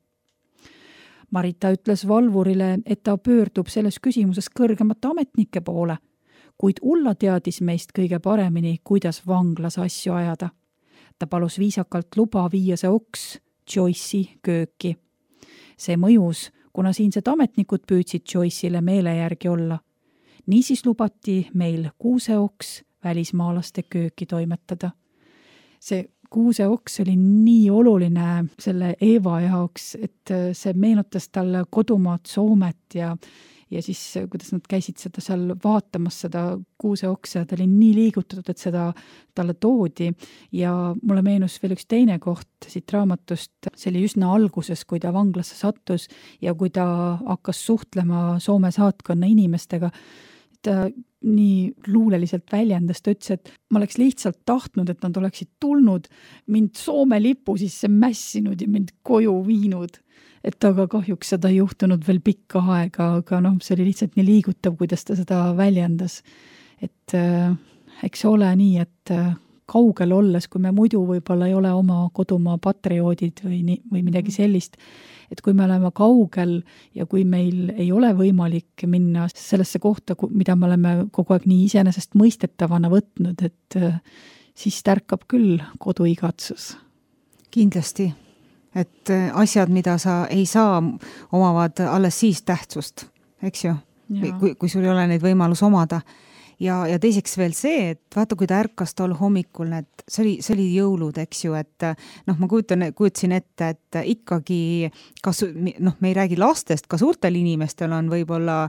Marita ütles valvurile, et ta pöördub selles küsimuses kõrgemate ametnike poole. kuid Ulla teadis meist kõige paremini, kuidas vanglas asju ajada. Ta palus viisakalt luba viia see oks Joyce'i kööki. See mõjus, kuna siinsed ametnikud püüdsid Joyce'ile meele järgi olla. Niisiis lubati meil kuuseoks välismaalaste kööki toimetada. See kuuseoks oli nii oluline selle Eeva jaoks, et see meenutas talle kodumaad Soomet ja ja siis, kuidas nad käisid seda seal vaatamas, seda kuuseoksa, ta oli nii liigutatud, et seda talle toodi ja mulle meenus veel üks teine koht siit raamatust, see oli üsna alguses, kui ta vanglasse sattus ja kui ta hakkas suhtlema Soome saatkonna inimestega, ta nii luuleliselt väljendas, ta ütles, et ma oleks lihtsalt tahtnud, et nad oleksid tulnud, mind Soome lipu sisse mässinud ja mind koju viinud. Et aga kahjuks seda ei juhtunud veel pikka aega, aga noh, see oli lihtsalt nii liigutav, kuidas ta seda väljendas. Et äh, eks ole nii, et äh, kaugel olles, kui me muidu võib-olla ei ole oma kodumaa patrioodid või, nii, või midagi sellist, et kui me oleme kaugel ja kui meil ei ole võimalik minna sellesse kohta, mida me oleme kogu aeg nii iseenesest mõistetavana võtnud, et äh, siis tärkab küll koduigatsus. Kindlasti. Et asjad, mida sa ei saa, omavad alles siis tähtsust, eks ju, kui, kui sul ei ole neid võimalus omada. Ja, ja teiseks veel see, et vaata, kui ta ärkas tol hommikul, et see oli, see oli jõulud, eks ju, et noh, ma kujutan, kujutasin ette, et ikkagi, kas, noh, me ei räägi lastest, ka suurtel inimestel on võib-olla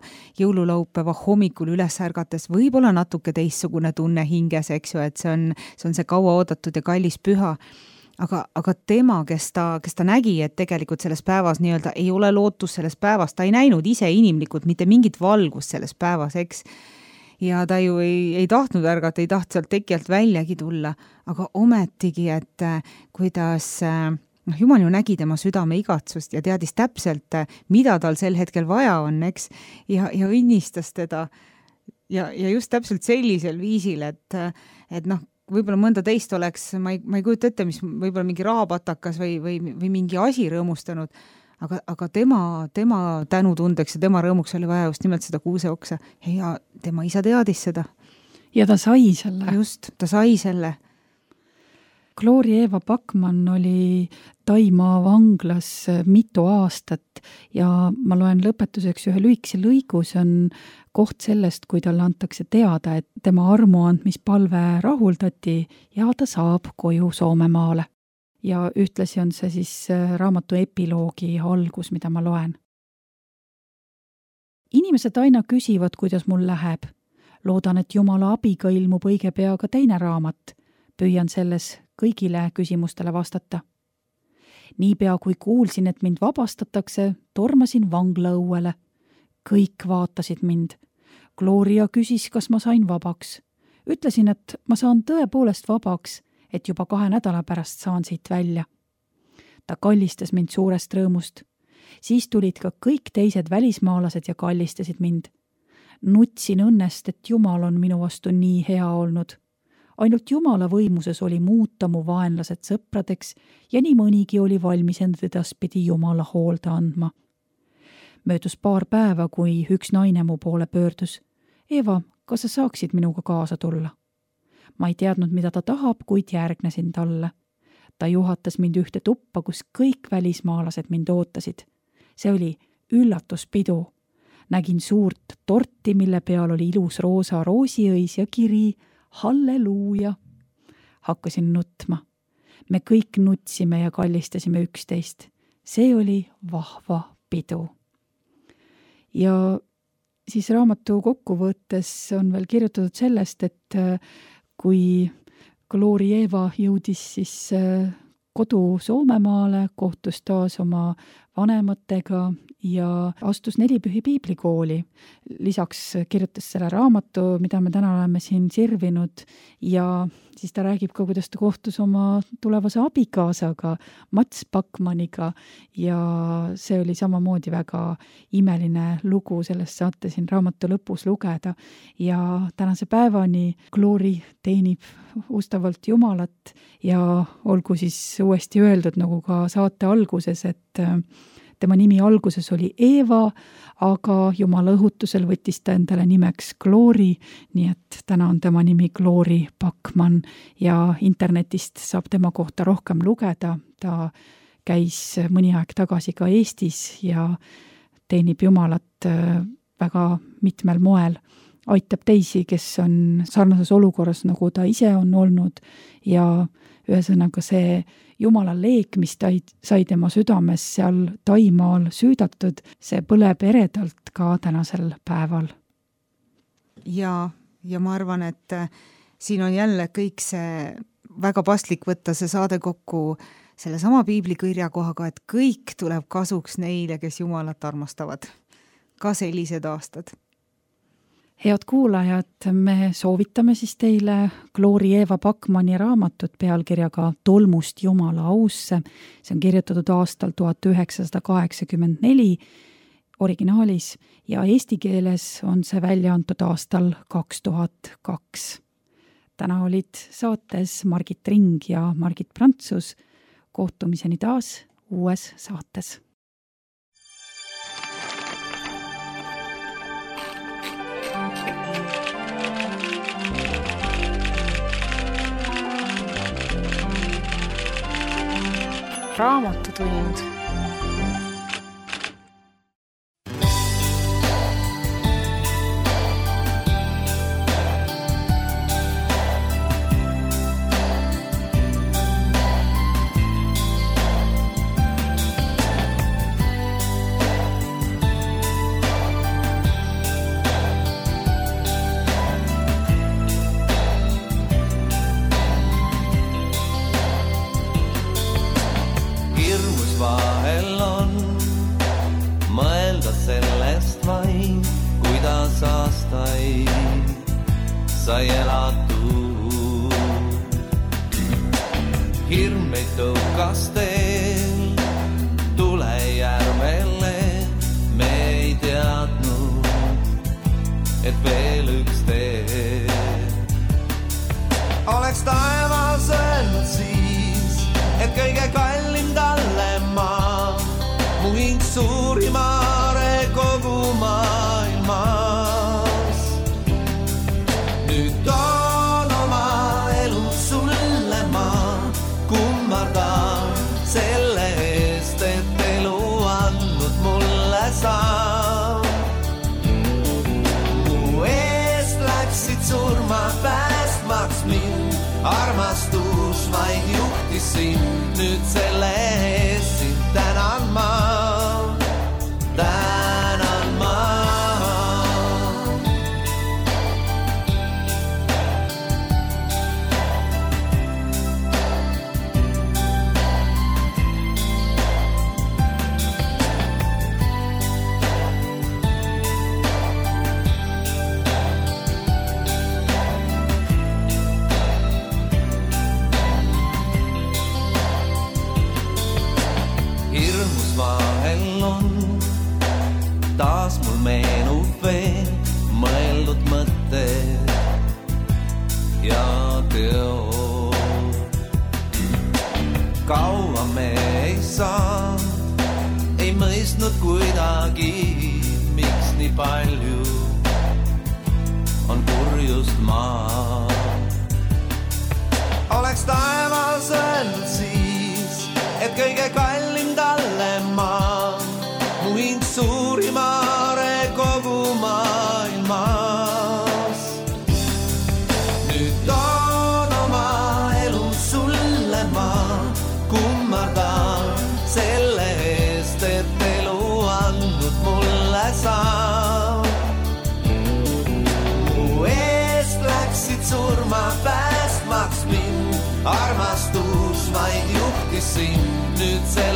jõululaupäeva hommikul üles ärgates võib-olla natuke teistsugune tunne hinges, eks ju, et see on see, on see kaua oodatud ja kallis püha. Aga, aga tema, kes ta, kes ta nägi, et tegelikult selles päevas nii-öelda ei ole lootus selles päevas, ta ei näinud ise inimlikult mitte mingit valgust selles päevas, eks. Ja ta ju ei, ei tahtnud ärgata, ei taht sealt tekijalt väljagi tulla, aga ometigi, et kuidas noh, Jumal ju nägi tema südame igatsust ja teadis täpselt, mida tal sel hetkel vaja on, eks, ja, ja õnnistas teda ja, ja just täpselt sellisel viisil, et, et noh, võib-olla mõnda teist oleks, ma ei, ma ei kujuta ette, mis võib-olla mingi rahapatakas või, või, või mingi asi rõõmustanud, aga, aga tema, tema tänutundeks ja tema rõõmuks oli vaja just nimelt seda kuuseoksa ja tema isa teadis seda. Ja ta sai selle. Just, ta sai selle. Gloria Eva Backman oli Taimaa vanglas mitu aastat ja ma loen lõpetuseks ühe lühikese lõigu, see on koht sellest, kui talle antakse teada, et tema armuandmispalve rahuldati ja ta saab koju Soomemaale. Ja ühtlasi on see siis raamatu epiloogi algus, mida ma loen. Inimesed aina küsivad, kuidas mul läheb. Loodan, et Jumala abiga ilmub õige pea ka teine raamat. Püüan selles kõigile küsimustele vastata. Niipea kui kuulsin, et mind vabastatakse, tormasin vangla õuele. Kõik vaatasid mind. Gloria küsis, kas ma sain vabaks. Ütlesin, et ma saan tõepoolest vabaks, et juba kahe nädala pärast saan siit välja. Ta kallistas mind suurest rõõmust. Siis tulid ka kõik teised välismaalased ja kallistasid mind. Nutsin õnnest, et Jumal on minu vastu nii hea olnud. Ainult Jumala võimuses oli muuta mu vaenlased sõpradeks ja nii mõnigi oli valmis end edaspidi Jumala hoolda andma. Möödus paar päeva, kui üks naine mu poole pöördus. Eva, kas sa saaksid minuga kaasa tulla? Ma ei teadnud, mida ta tahab, kuid järgnesin talle. Ta juhatas mind ühte tuppa, kus kõik välismaalased mind ootasid. See oli üllatuspidu. Nägin suurt torti, mille peal oli ilus roosa roosiõis ja kiri Halleluuja. Hakkasin nutma. Me kõik nutsime ja kallistasime üksteist. See oli vahva pidu. Ja siis raamatu kokkuvõttes on veel kirjutatud sellest, et kui Gloria Eva jõudis siis kodu Soomemaale, kohtus taas oma vanematega ja astus Nelipühi piiblikooli. Lisaks kirjutas selle raamatu, mida me täna oleme siin sirvinud ja siis ta räägib ka, kuidas ta kohtus oma tulevase abikaasaga, Mats Backmaniga ja see oli samamoodi väga imeline lugu, sellest saate siin raamatu lõpus lugeda ja tänase päevani Glory teenib ustavalt Jumalat ja olgu siis uuesti öeldud, nagu ka saate alguses, et tema nimi alguses oli Eeva, aga Jumala õhutusel võttis ta endale nimeks Glory, nii et täna on tema nimi Glory Backman ja internetist saab tema kohta rohkem lugeda. Ta käis mõni aeg tagasi ka Eestis ja teenib Jumalat väga mitmel moel. Aitab teisi, kes on sarnases olukorras, nagu ta ise on olnud ja ühesõnaga see Jumala leek, mis ta sai tema südames seal Taimaal süüdatud, see põleb eredalt ka tänasel päeval. Ja, ja ma arvan, et siin on jälle kõik see väga paslik võtta see saade kokku selle sama piiblikirja kohaga, et kõik tuleb kasuks neile, kes Jumalat armastavad. Ka sellised aastad. Head kuulajad, me soovitame siis teile Glory Eeva Backmani raamatut pealkirjaga Tolmust Jumala ausse. See on kirjutatud aastal tuhat üheksasada kaheksakümmend neli originaalis ja eesti keeles on see välja antud aastal kaks tuhat kaks. Täna olid saates Margit Ring ja Margit Prantsus. Kohtumiseni taas uues saates. Raamatutund. Sai elatud. Hirm meid tõukas teel tulejärvele, me ei teadnud, et veel üks tee. Oleks taevas öelnud siis, et kõige kallim talle maa, mu hing suurimare kogu maailma. Nüüd on oma elu sulle ma kummardan selle eest, et elu andnud mulle saa. Mu eest läksid surma päästmaks mind, armastus vaid juhtis sind, nüüd selle eest sind tänan ma, tänan ma. Taas mul meenub veel mõeldud mõtted ja teod. Kaua me ei saanud, ei mõistnud kuidagi, miks nii palju on kurjust maa. Oleks taevas öelnud siis, et kõige kallim talle maa, mu hing suurimare kogu maailmas. Nüüd on oma elu sulle ma kummardan selle eest, et elu andnud mulle saa. Mu eest läksid surma päästmaks mind, armastus vaid juhtis sind, nüüd see